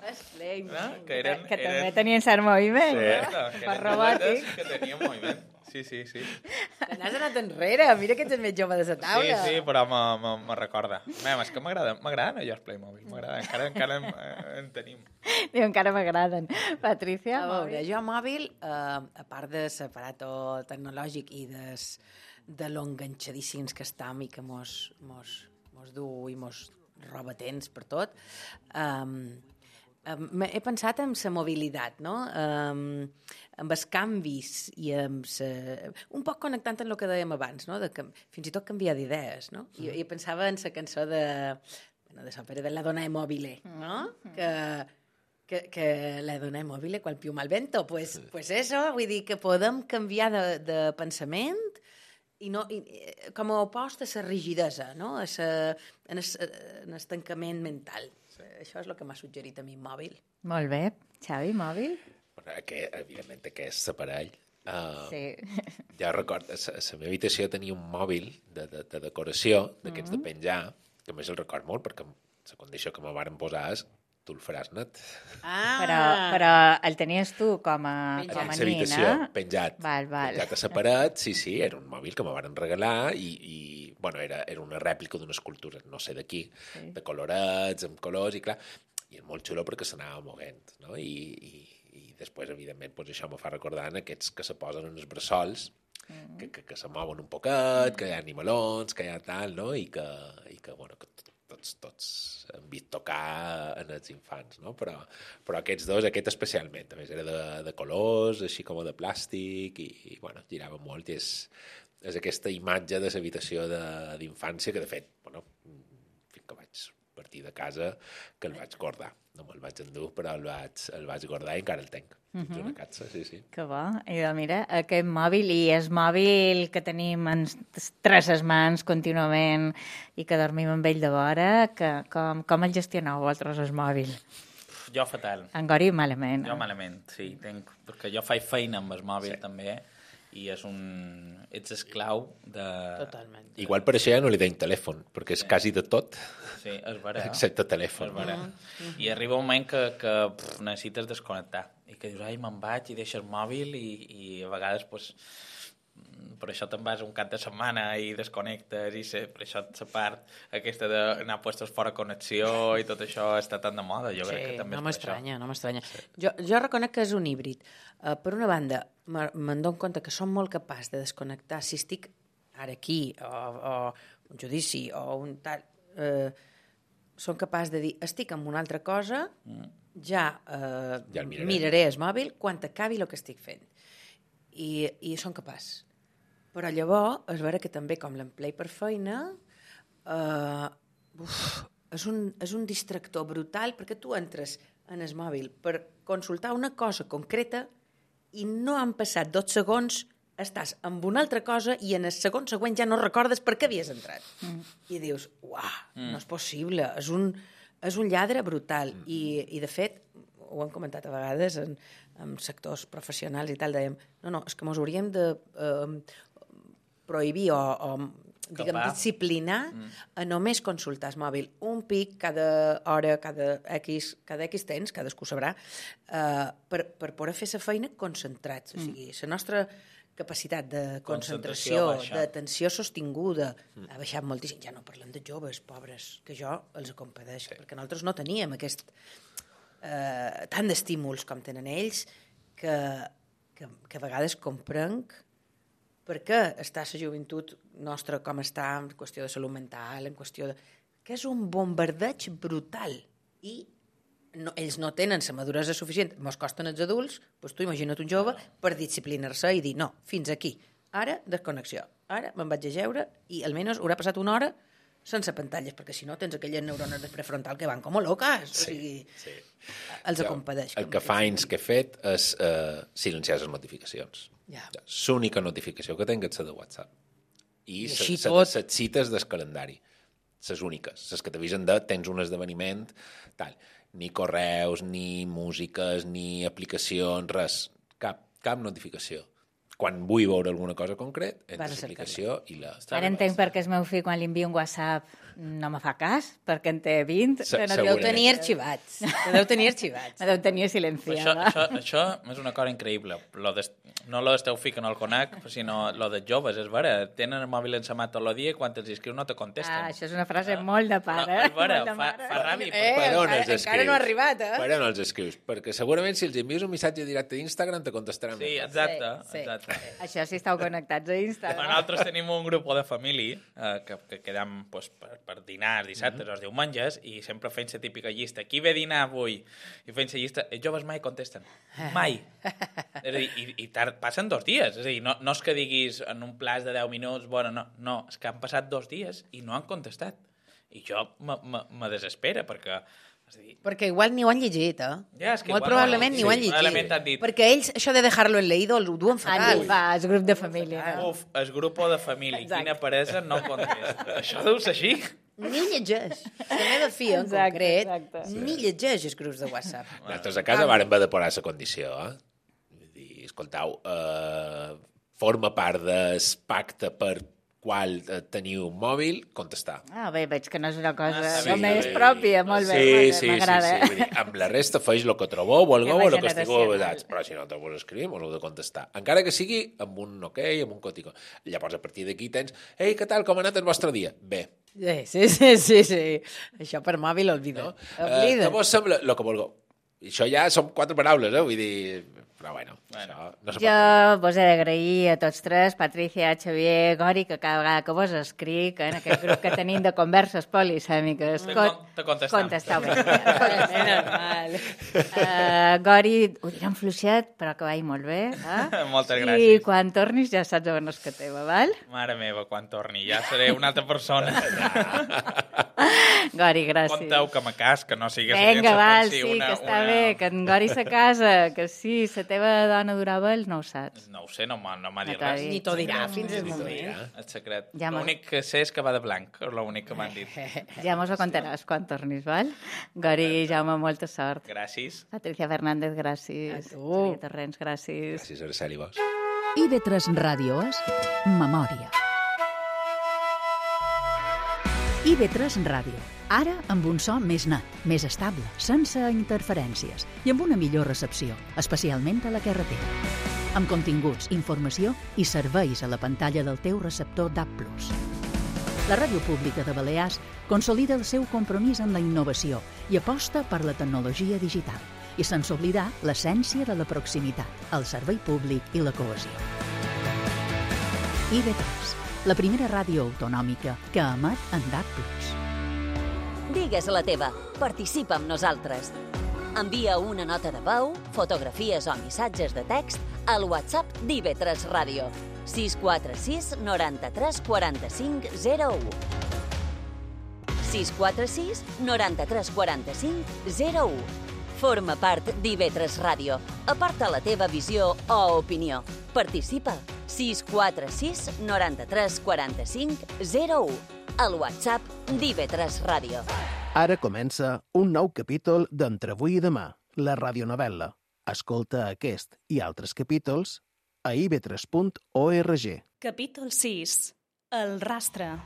Que també tenien cert moviment, no? Per robòtic. Que tenien moviment. Sí. Que n'has anat enrere, mira que ets el més jove de la taula. Sí, però me recorda. És que m'agraden allò els Playmobil, encara en tenim. Diu, encara m'agraden. Patricia? A veure, jo mòbil, a part de l'aparato tecnològic i de lo enganxadíssims que estam i que mos du i mos roba temps per tot, he pensat en la mobilitat, no? Amb els canvis i amb un poc connectant amb el que dèiem abans, no? Fins i tot canviar d'idees, no? I pensava en la cançó de l'òpera de La donna è mobile, no? Que la donna è mobile qual più mal vento. Pues eso, vull dir que podem canviar de pensament i no, com a opost a la rigidesa, no? En el tancament mental. Això és el que m'ha suggerit a mi mòbil. Molt bé. Xavi, mòbil? Evidentment, aquest aparell. Ja recordo, a la meva habitació tenia un mòbil de decoració, d'aquests de penjar, que a més el record molt, perquè la condició que me varen posar és tu el faràs net. Però el tenies tu com a nin, penjat. Penjat a la paret, sí, era un mòbil que me varen regalar i bueno, era una rèplica d'una escultura, no sé de qui, de colorets, amb colors, i clar, i és molt xulo perquè s'anava movent, no? I després, evidentment, això me fa recordar en aquests que se posen en els bressols, que se mouen un poquet, que hi ha animalons, que hi ha tal, no? I que bueno, que tots hem vist tocar en els infants, no? Però aquests dos, aquest especialment, a més era de colors, així com de plàstic, i bueno, girava molt, i és aquesta imatge de l'habitació d'infància que, de fet, bueno, fins que vaig partir de casa, que el vaig guardar. No me'l vaig endur, però el vaig guardar i encara el tenc. Una catxa, sí. Que bo. I mira, aquest mòbil, i és mòbil que tenim entre les mans contínuament i que dormim amb ell de vora, com el gestioneu vosaltres, el mòbil? Jo fatal. En Gori malament. Jo malament, sí. Perquè jo faig feina amb el mòbil també, i ets esclau de... Totalment. Igual per això ja no li deim telèfon, perquè és quasi de tot. Sí, és vera. Excepte telèfon. I arriba un moment que necessites desconnectar i que dius, ai, me'n vaig i deixes el mòbil i a vegades per això te'n vas un cap de setmana i desconnectes i per això la part aquesta d'anar puestos fora connexió i tot això està tan de moda, jo crec que també no m'estranya. Jo reconec que és un híbrid. Per una banda, me'n dono compte que som molt capaç de desconnectar si estic ara aquí o un judici o un tal... som capaç de dir, estic en una altra cosa, ja miraré el mòbil quan acabi el que estic fent. I som capaç. Però llavors, és vera que també, com l'emplei per feina, és un distractor brutal, perquè tu entres en el mòbil per consultar una cosa concreta i no han passat 2 segons, estàs amb una altra cosa i en el segon següent ja no recordes per què havies entrat. I dius, uah, no és possible, és un lladre brutal. I de fet, ho hem comentat a vegades en sectors professionals i tal, dèiem, no, és que mos hauríem de prohibir o disciplinar a només consultar el mòbil un pic cada hora, cada X temps, cadascú sabrà, per poder fer la feina concentrats. O sigui, la nostra capacitat de concentració, d'atenció sostinguda, ha baixat moltíssim. Ja no parlem de joves, pobres, que jo els compadeixo, perquè nosaltres no teníem tant d'estímuls com tenen ells, que a vegades comprenc per què està la joventut nostra com està en qüestió de salut mental, en qüestió de... que és un bombardeig brutal i ells no tenen la maduresa suficient, mos costen els adults, doncs tu imagina't un jove per disciplinar-se i dir, no, fins aquí, ara desconnexió, ara me'n vaig a jeure i almenys haurà passat una hora sense pantalles, perquè si no tens aquelles neurones prefrontal que van com a locas. Els acompanyeix. El que fa anys que he fet és silenciar les notificacions. L'única notificació que tinc és la de WhatsApp. I les cites del calendari. Les úniques. Les que t'avisen de tens un esdeveniment, tal. Ni correus, ni músiques, ni aplicacions, res. Cap notificació. Quan vull veure alguna cosa concret, entres l'aplicació i la... Ara entenc per què el meu fill, quan li envio un WhatsApp, no me fa cas, perquè en té 20. Deu tenir arxivats. Deu tenir arxivats. Deu tenir silenciada. Això és una cosa increïble. No lo del teu fill que no el conec, sinó lo dels joves, és vera. Tenen el mòbil encemat tot el dia i quan els escrius no te contesten. Això és una frase molt de pare. És vera, fa ràbia. Encara no ha arribat, Per on els escrius? Perquè segurament si els envies un missatge directe d'Instagram te contestaran. Sí, exacte. Això sí, estàu connectats a Instagram. Nosaltres tenim un grup de família que quedam per dinar dissabtes o els diumenges i sempre fem la típica llista. Qui ve a dinar avui? I fem la llista. Els joves mai contesten. Mai. És a dir, i passen 2 dies. És a dir, no és que diguis en un plaç de 10 minuts, bueno, no. És que han passat 2 dies i no han contestat. I jo me desespera perquè... Perquè igual ni ho han llegit, Molt probablement ni ho han llegit. Perquè ells, això de dejar-lo en leído, ho duen fatal. El grup de família. El grup de família. Quina peresa no contesta. Això deu ser així. Ni llegeix. La meva filla, en concret, ni llegeix els grups de WhatsApp. Nosaltres a casa vàrem haver de posar la condició, Vull dir, escoltau, forma part del pacte per qual teniu un mòbil, contestar. Bé, veig que no és una cosa només pròpia, molt bé, m'agrada. Sí. Vull dir, amb la resta feix el que trobeu, volgueu o el que estigueu avesats, però si no te vols escriure, m'ho heu de contestar. Encara que sigui amb un ok, amb un cótico. Llavors, a partir d'aquí tens, ei, què tal, com ha anat el vostre dia? Bé. Sí. Això per mòbil, olvida. Què vos sembla? El que vulgueu. Això ja són 4 paraules, vull dir... Però bueno, això no se pot. Jo vos he d'agrair a tots 3, Patricia, Xavier, Gori, que cada vegada que vos escric en aquest grup que tenim de converses polisèmiques, contesteu bé. Normal. Gori, ho diré en fluixet, però que vagi molt bé. Moltes gràcies. I quan tornis ja saps on és que teva, val? Mare meva, quan torni, ja seré una altra persona. Gori, gràcies. Conteu que me cas, que no sigues... Vinga, val, sí, que està bé, que en Gori se casa, que sí, la teva dona durava el no ho saps. No ho sé, no m'ha dit res. Ni t'ho dirà fins al moment. El secret. L'únic que sé és que va de blanc, és l'únic que m'han dit. Ja mos ho contaràs quan tornis, val? Gori, Jaume, molta sort. Gràcies. Patricia Fernández, gràcies. A tu. Torrents, gràcies. Gràcies, Araceli, vos. IB3 Ràdio és Memòria. IB3 Ràdio. Ara amb un so més net, més estable, sense interferències i amb una millor recepció, especialment a la carretera. Amb continguts, informació i serveis a la pantalla del teu receptor DAB+. La Ràdio Pública de Balears consolida el seu compromís amb la innovació i aposta per la tecnologia digital i sense oblidar l'essència de la proximitat, el servei públic i la cohesió. IB3, la primera ràdio autonòmica que emet en DAB+. Digues la teva. Participa amb nosaltres. Envia una nota de veu, fotografies o missatges de text al WhatsApp d'IB3 Ràdio. 646 93 45 01. 646 93 45 01. Forma part d'IB3 Ràdio. Aporta la teva visió o opinió. Participa. 646 93 45 01. Al WhatsApp d'IB3 Ràdio. Ara comença un nou capítol d'Entre avui i demà, la radionovel·la. Escolta aquest i altres capítols a ib3.org. Capítol 6. El rastre.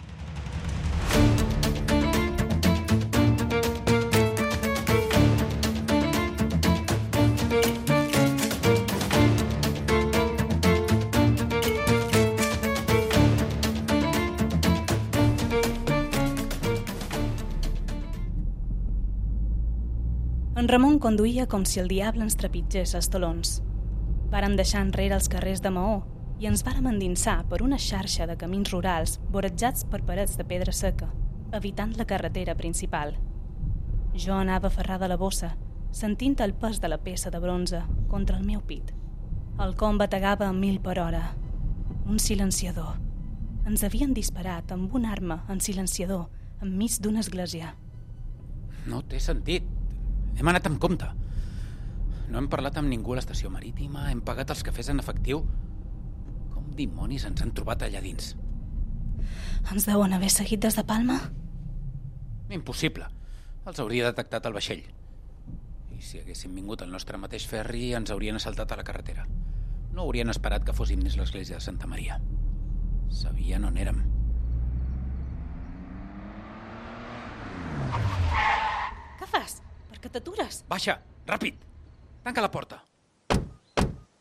En Ramon conduïa com si el diable ens trepitgés els talons. Vàrem deixar enrere els carrers de Maó i ens vàrem endinsar per una xarxa de camins rurals vorejats per parets de pedra seca, evitant la carretera principal. Jo anava aferrada a la bossa, sentint el pes de la peça de bronze contra el meu pit. El com bategava a 1000 per hora. Un silenciador. Ens havien disparat amb una arma en silenciador enmig d'una església. No té sentit. Hem anat amb compte. No hem parlat amb ningú a l'estació marítima, hem pagat els cafès en efectiu. Com dimonis ens han trobat allà dins? Ens deuen haver seguit des de Palma? Impossible. Els hauria detectat el vaixell. I si haguéssim vingut al nostre mateix ferri, ens haurien assaltat a la carretera. No haurien esperat que fóssim dins l'església de Santa Maria. Sabien on érem. Què fas? Per què t'atures? Baixa, ràpid! Tanca la porta.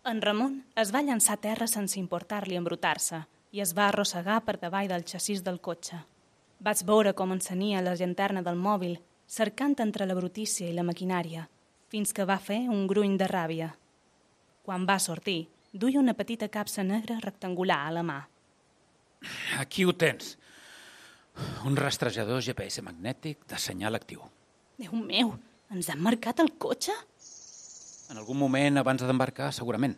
En Ramon es va llançar a terra sense importar-li embrutar-se i es va arrossegar per davall del xassís del cotxe. Vaig veure com encenia la llanterna del mòbil, cercant entre la brutícia i la maquinària, fins que va fer un gruny de ràbia. Quan va sortir, duia una petita capsa negra rectangular a la mà. Aquí ho tens. Un rastrejador GPS magnètic de senyal actiu. Déu meu, ens han marcat el cotxe? En algun moment abans d'embarcar, segurament.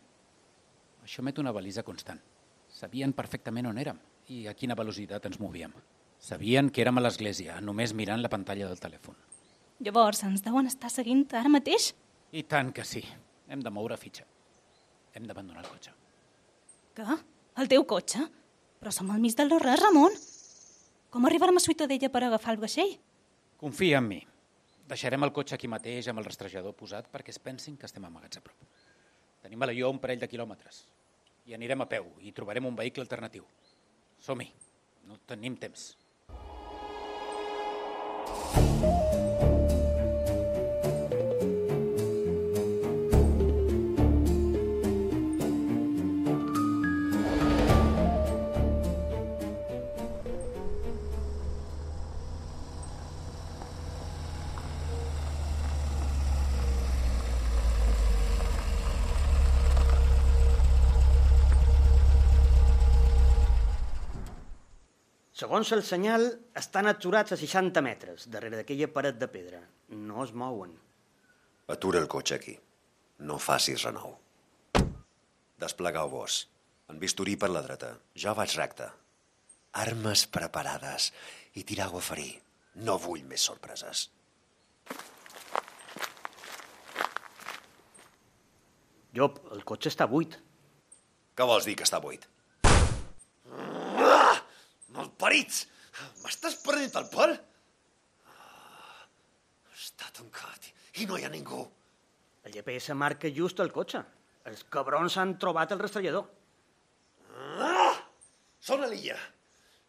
Això emet una balisa constant. Sabien perfectament on érem i a quina velocitat ens movíem. Sabien que érem a l'església, només mirant la pantalla del telèfon. Llavors, ens deuen estar seguint ara mateix? I tant que sí. Hem de moure fitxa. Hem d'abandonar el cotxe. Què? El teu cotxe? Però som al mig del no-res, Ramon. Com arribarem a Ciutadella per agafar el vaixell? Confia en mi. Deixarem el cotxe aquí mateix amb el rastrejador posat perquè es pensin que estem amagats a prop. Tenim a Alaior un parell de quilòmetres. I anirem a peu i trobarem un vehicle alternatiu. Som-hi. No tenim temps. Segons el senyal, estan aturats a 60 metres, darrere d'aquella paret de pedra. No es mouen. Atura el cotxe aquí. No facis renou. Desplegueu-vos. En bisturí per la dreta. Jo vaig recte. Armes preparades i tirau a ferir. No vull més sorpreses. Llop, el cotxe està buit. Què vols dir que està buit? Malparits! M'estàs prenent el pèl? Està tancat i no hi ha ningú. El GPS marca just el cotxe. Els cabrons han trobat el rastrellador. Són a l'illa.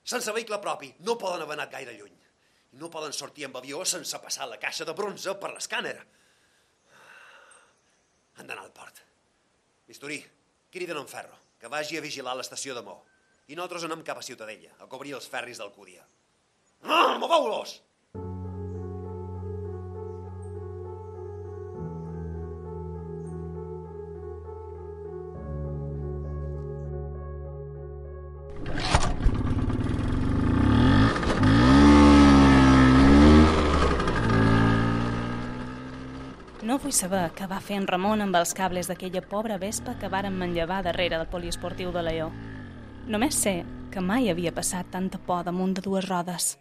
Sense vehicle propi, no poden haver anat gaire lluny. No poden sortir amb avió sense passar la caixa de bronze per l'escàner. Han d'anar al port. Bisturí, criden en Ferro, que vagi a vigilar l'estació de Mó. I nosaltres anem cap a Ciutadella, a cobrir els ferris d'Alcúdia. Moveu-los! No vull saber què va fer en Ramon amb els cables d'aquella pobra vespa que varen manllevar darrere del poliesportiu de Alaior. Només sé que mai havia passat tanta por damunt de dues rodes.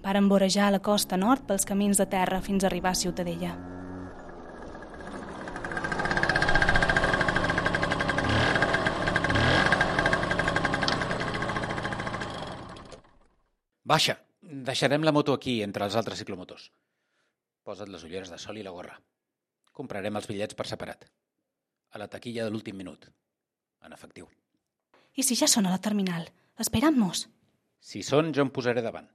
Varen vorejar la costa nord pels camins de terra fins a arribar a Ciutadella. Baixa. Deixarem la moto aquí, entre els altres ciclomotors. Posa't les ulleres de sol i la gorra. Comprarem els bitllets per separat. A la taquilla de l'últim minut. En efectiu. I si ja són a la terminal? Esperant-nos. Si són, jo em posaré davant.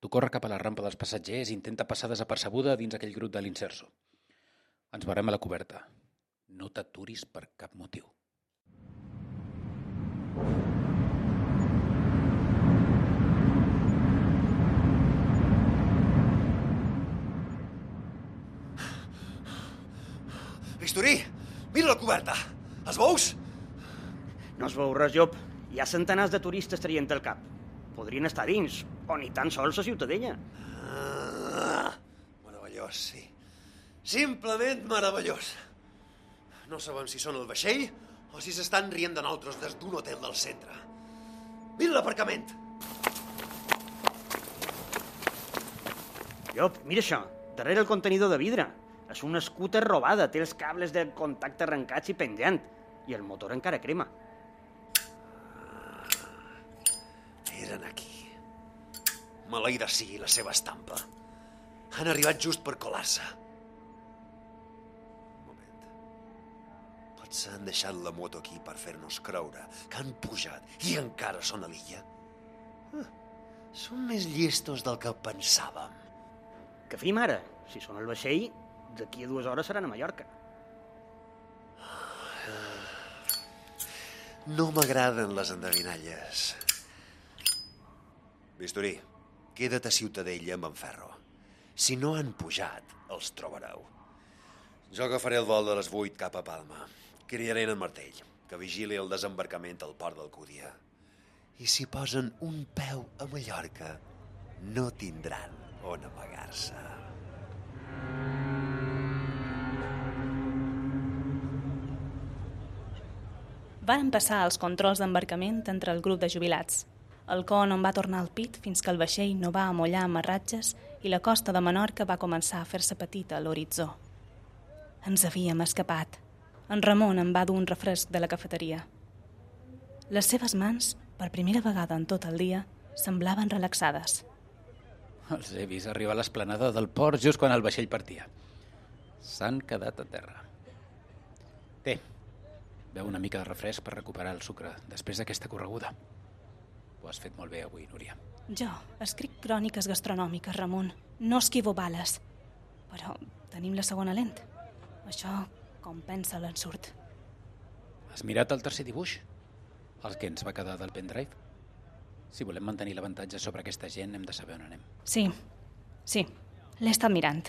Tu corre cap a la rampa dels passatgers i intenta passar desapercebuda dins aquell grup de l'Inserso. Ens veurem a la coberta. No t'aturis per cap motiu. Bisturí, mira la coberta. Els veus? No es veu res, Llop. Hi ha centenars de turistes traient el cap. Podrien estar dins, o ni tan sols a Ciutadella. Meravellós, sí. Simplement meravellós. No sabem si són el vaixell o si s'estan rient de nosaltres des d'un hotel del centre. Mira l'aparcament. Llop, mira això, darrere el contenidor de vidre. És una scooter robada, té els cables de contacte arrencats i penjant, i el motor encara crema. Eren aquí. Maleïda sigui la seva estampa. Han arribat just per colar-se. Un moment. Potser han deixat la moto aquí per fer-nos creure que han pujat i encara són a l'illa. Són més llestos del que pensàvem. Què fem ara? Si són al vaixell, d'aquí a 2 hores seran a Mallorca. No m'agraden les endevinalles. Bisturí, queda't a Ciutadella amb en Ferro. Si no han pujat, els trobareu. Jo agafaré el vol de les 8 cap a Palma. Criaré en Martell, que vigili el desembarcament al port d'Alcúdia. I si posen un peu a Mallorca, no tindran on amagar-se. Varen passar els controls d'embarcament entre el grup de jubilats. El con on va tornar al pit fins que el vaixell no va amollar amarratges i la costa de Menorca va començar a fer-se petita a l'horitzó. Ens havíem escapat. En Ramon em va dur un refresc de la cafeteria. Les seves mans, per primera vegada en tot el dia, semblaven relaxades. Els he vist arribar a l'esplanada del port just quan el vaixell partia. S'han quedat a terra. Té, beu una mica de refresc per recuperar el sucre després d'aquesta correguda. Ho has fet molt bé avui, Núria. Jo escric cròniques gastronòmiques, Ramon. No esquivo bales. Però tenim la segona lent. Això compensa l'ensurt. Has mirat el tercer dibuix? El que ens va quedar del pendrive? Si volem mantenir l'avantatge sobre aquesta gent, hem de saber on anem. Sí, l'he estat mirant.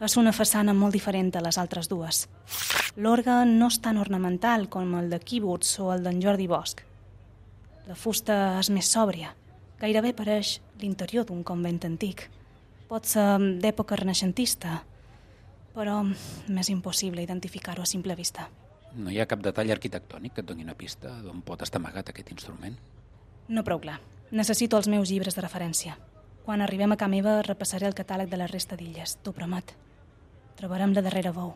És una façana molt diferent de les altres dues. L'orgue no és tan ornamental com el de Kibbutz o el d'en Jordi Bosch. La fusta és més sòbria. Gairebé pareix l'interior d'un convent antic. Pot ser d'època renaixentista, però m'és impossible identificar-ho a simple vista. No hi ha cap detall arquitectònic que et doni una pista d'on pot estar amagat aquest instrument? No prou clar. Necessito els meus llibres de referència. Quan arribem a ca meva repassaré el catàleg de la resta d'illes, t'ho promet. Trobarem la darrera bou.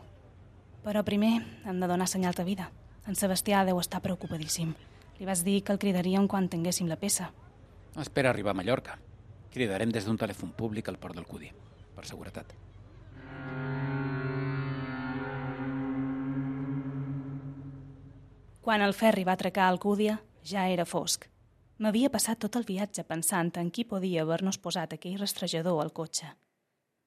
Però primer hem de donar senyal de vida. En Sebastià deu estar preocupadíssim. Li vas dir que el cridaríem quan tinguéssim la peça. Espera arribar a Mallorca. Cridarem des d'un telèfon públic al port d'Alcúdia, per seguretat. Quan el ferri va atracar a Alcúdia, ja era fosc. M'havia passat tot el viatge pensant en qui podia haver-nos posat aquell rastrejador al cotxe.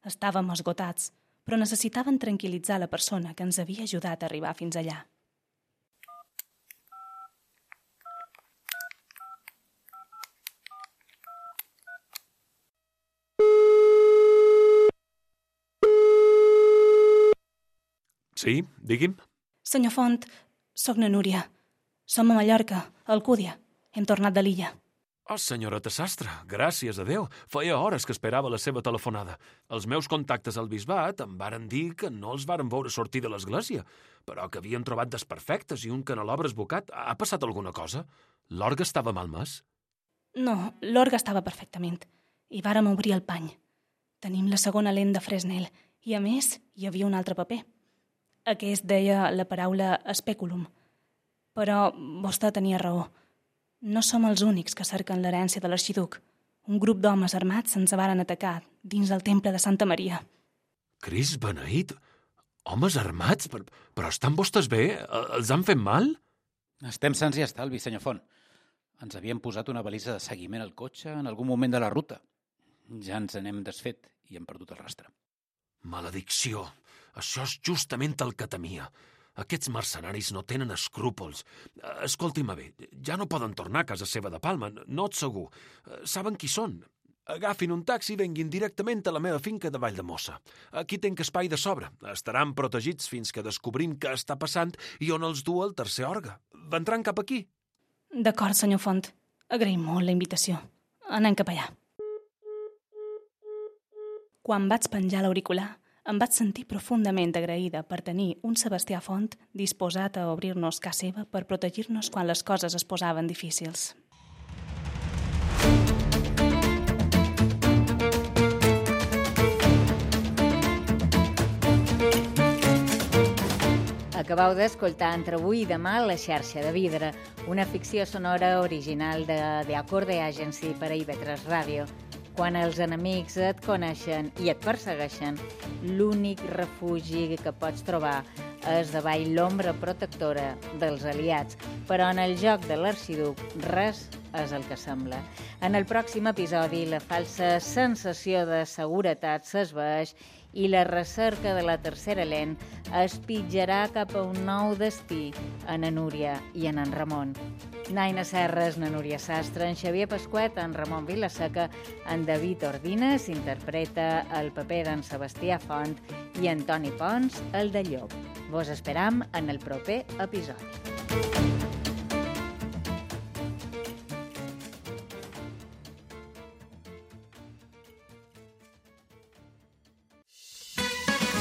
Estàvem esgotats, però necessitaven tranquil·litzar la persona que ens havia ajudat a arribar fins allà. Sí, digui'm. Senyor Font, soc na Núria. Som a Mallorca, a Alcúdia. Hem tornat de l'illa. Oh, senyoreta Sastre, gràcies a Déu. Feia hores que esperava la seva telefonada. Els meus contactes al bisbat em varen dir que no els varen veure sortir de l'església, però que havien trobat desperfectes i un canelobre esbocat. Ha passat alguna cosa? L'orgue estava malmès? No, l'orgue estava perfectament. I vàrem obrir el pany. Tenim la segona lent de Fresnel i, a més, hi havia un altre paper. Aquest deia la paraula speculum. Però vostè tenia raó. No som els únics que cerquen l'herència de l'arxiduc. Un grup d'homes armats ens varen atacar dins del temple de Santa Maria. Crist beneït! Homes armats? Però estan vostès bé? Els han fet mal? Estem sants i estalvi, senyor Font. Ens havien posat una balisa de seguiment al cotxe en algun moment de la ruta. Ja ens n'hem desfet i hem perdut el rastre. Maledicció! Això és justament el que temia. Aquests mercenaris no tenen escrúpols. Escolti-me bé, ja no poden tornar a casa seva de Palma, no ets segur. Saben qui són? Agafin un taxi i venguin directament a la meva finca de Valldemossa. Aquí tenc espai de sobre. Estaran protegits fins que descobrim què està passant i on els du el tercer orgue. Vendran cap aquí? D'acord, senyor Font. Agraïm molt la invitació. Anem cap allà. Quan vaig penjar l'auricular, em vaig sentir profundament agraïda per tenir un Sebastià Font disposat a obrir-nos casa seva per protegir-nos quan les coses es posaven difícils. Acabeu d'escoltar Entre avui i demà La xarxa de vidre, una ficció sonora original de The Acorde Agency per a IB3 Ràdio. Quan els enemics et coneixen i et persegueixen, l'únic refugi que pots trobar és davall l'ombra protectora dels aliats. Però en el joc de l'arxiduc, res és el que sembla. En el pròxim episodi, la falsa sensació de seguretat s'esvaeix i la recerca de la tercera lent es pitjarà cap a un nou destí en Núria i en Ramon. Naina Serres, na Núria Sastre, en Xavier Pasquet, en Ramon Vilaseca, en David Ordines interpreta el paper d'en Sebastià Font i en Toni Pons el de Llop. Vos esperam en el proper episodi.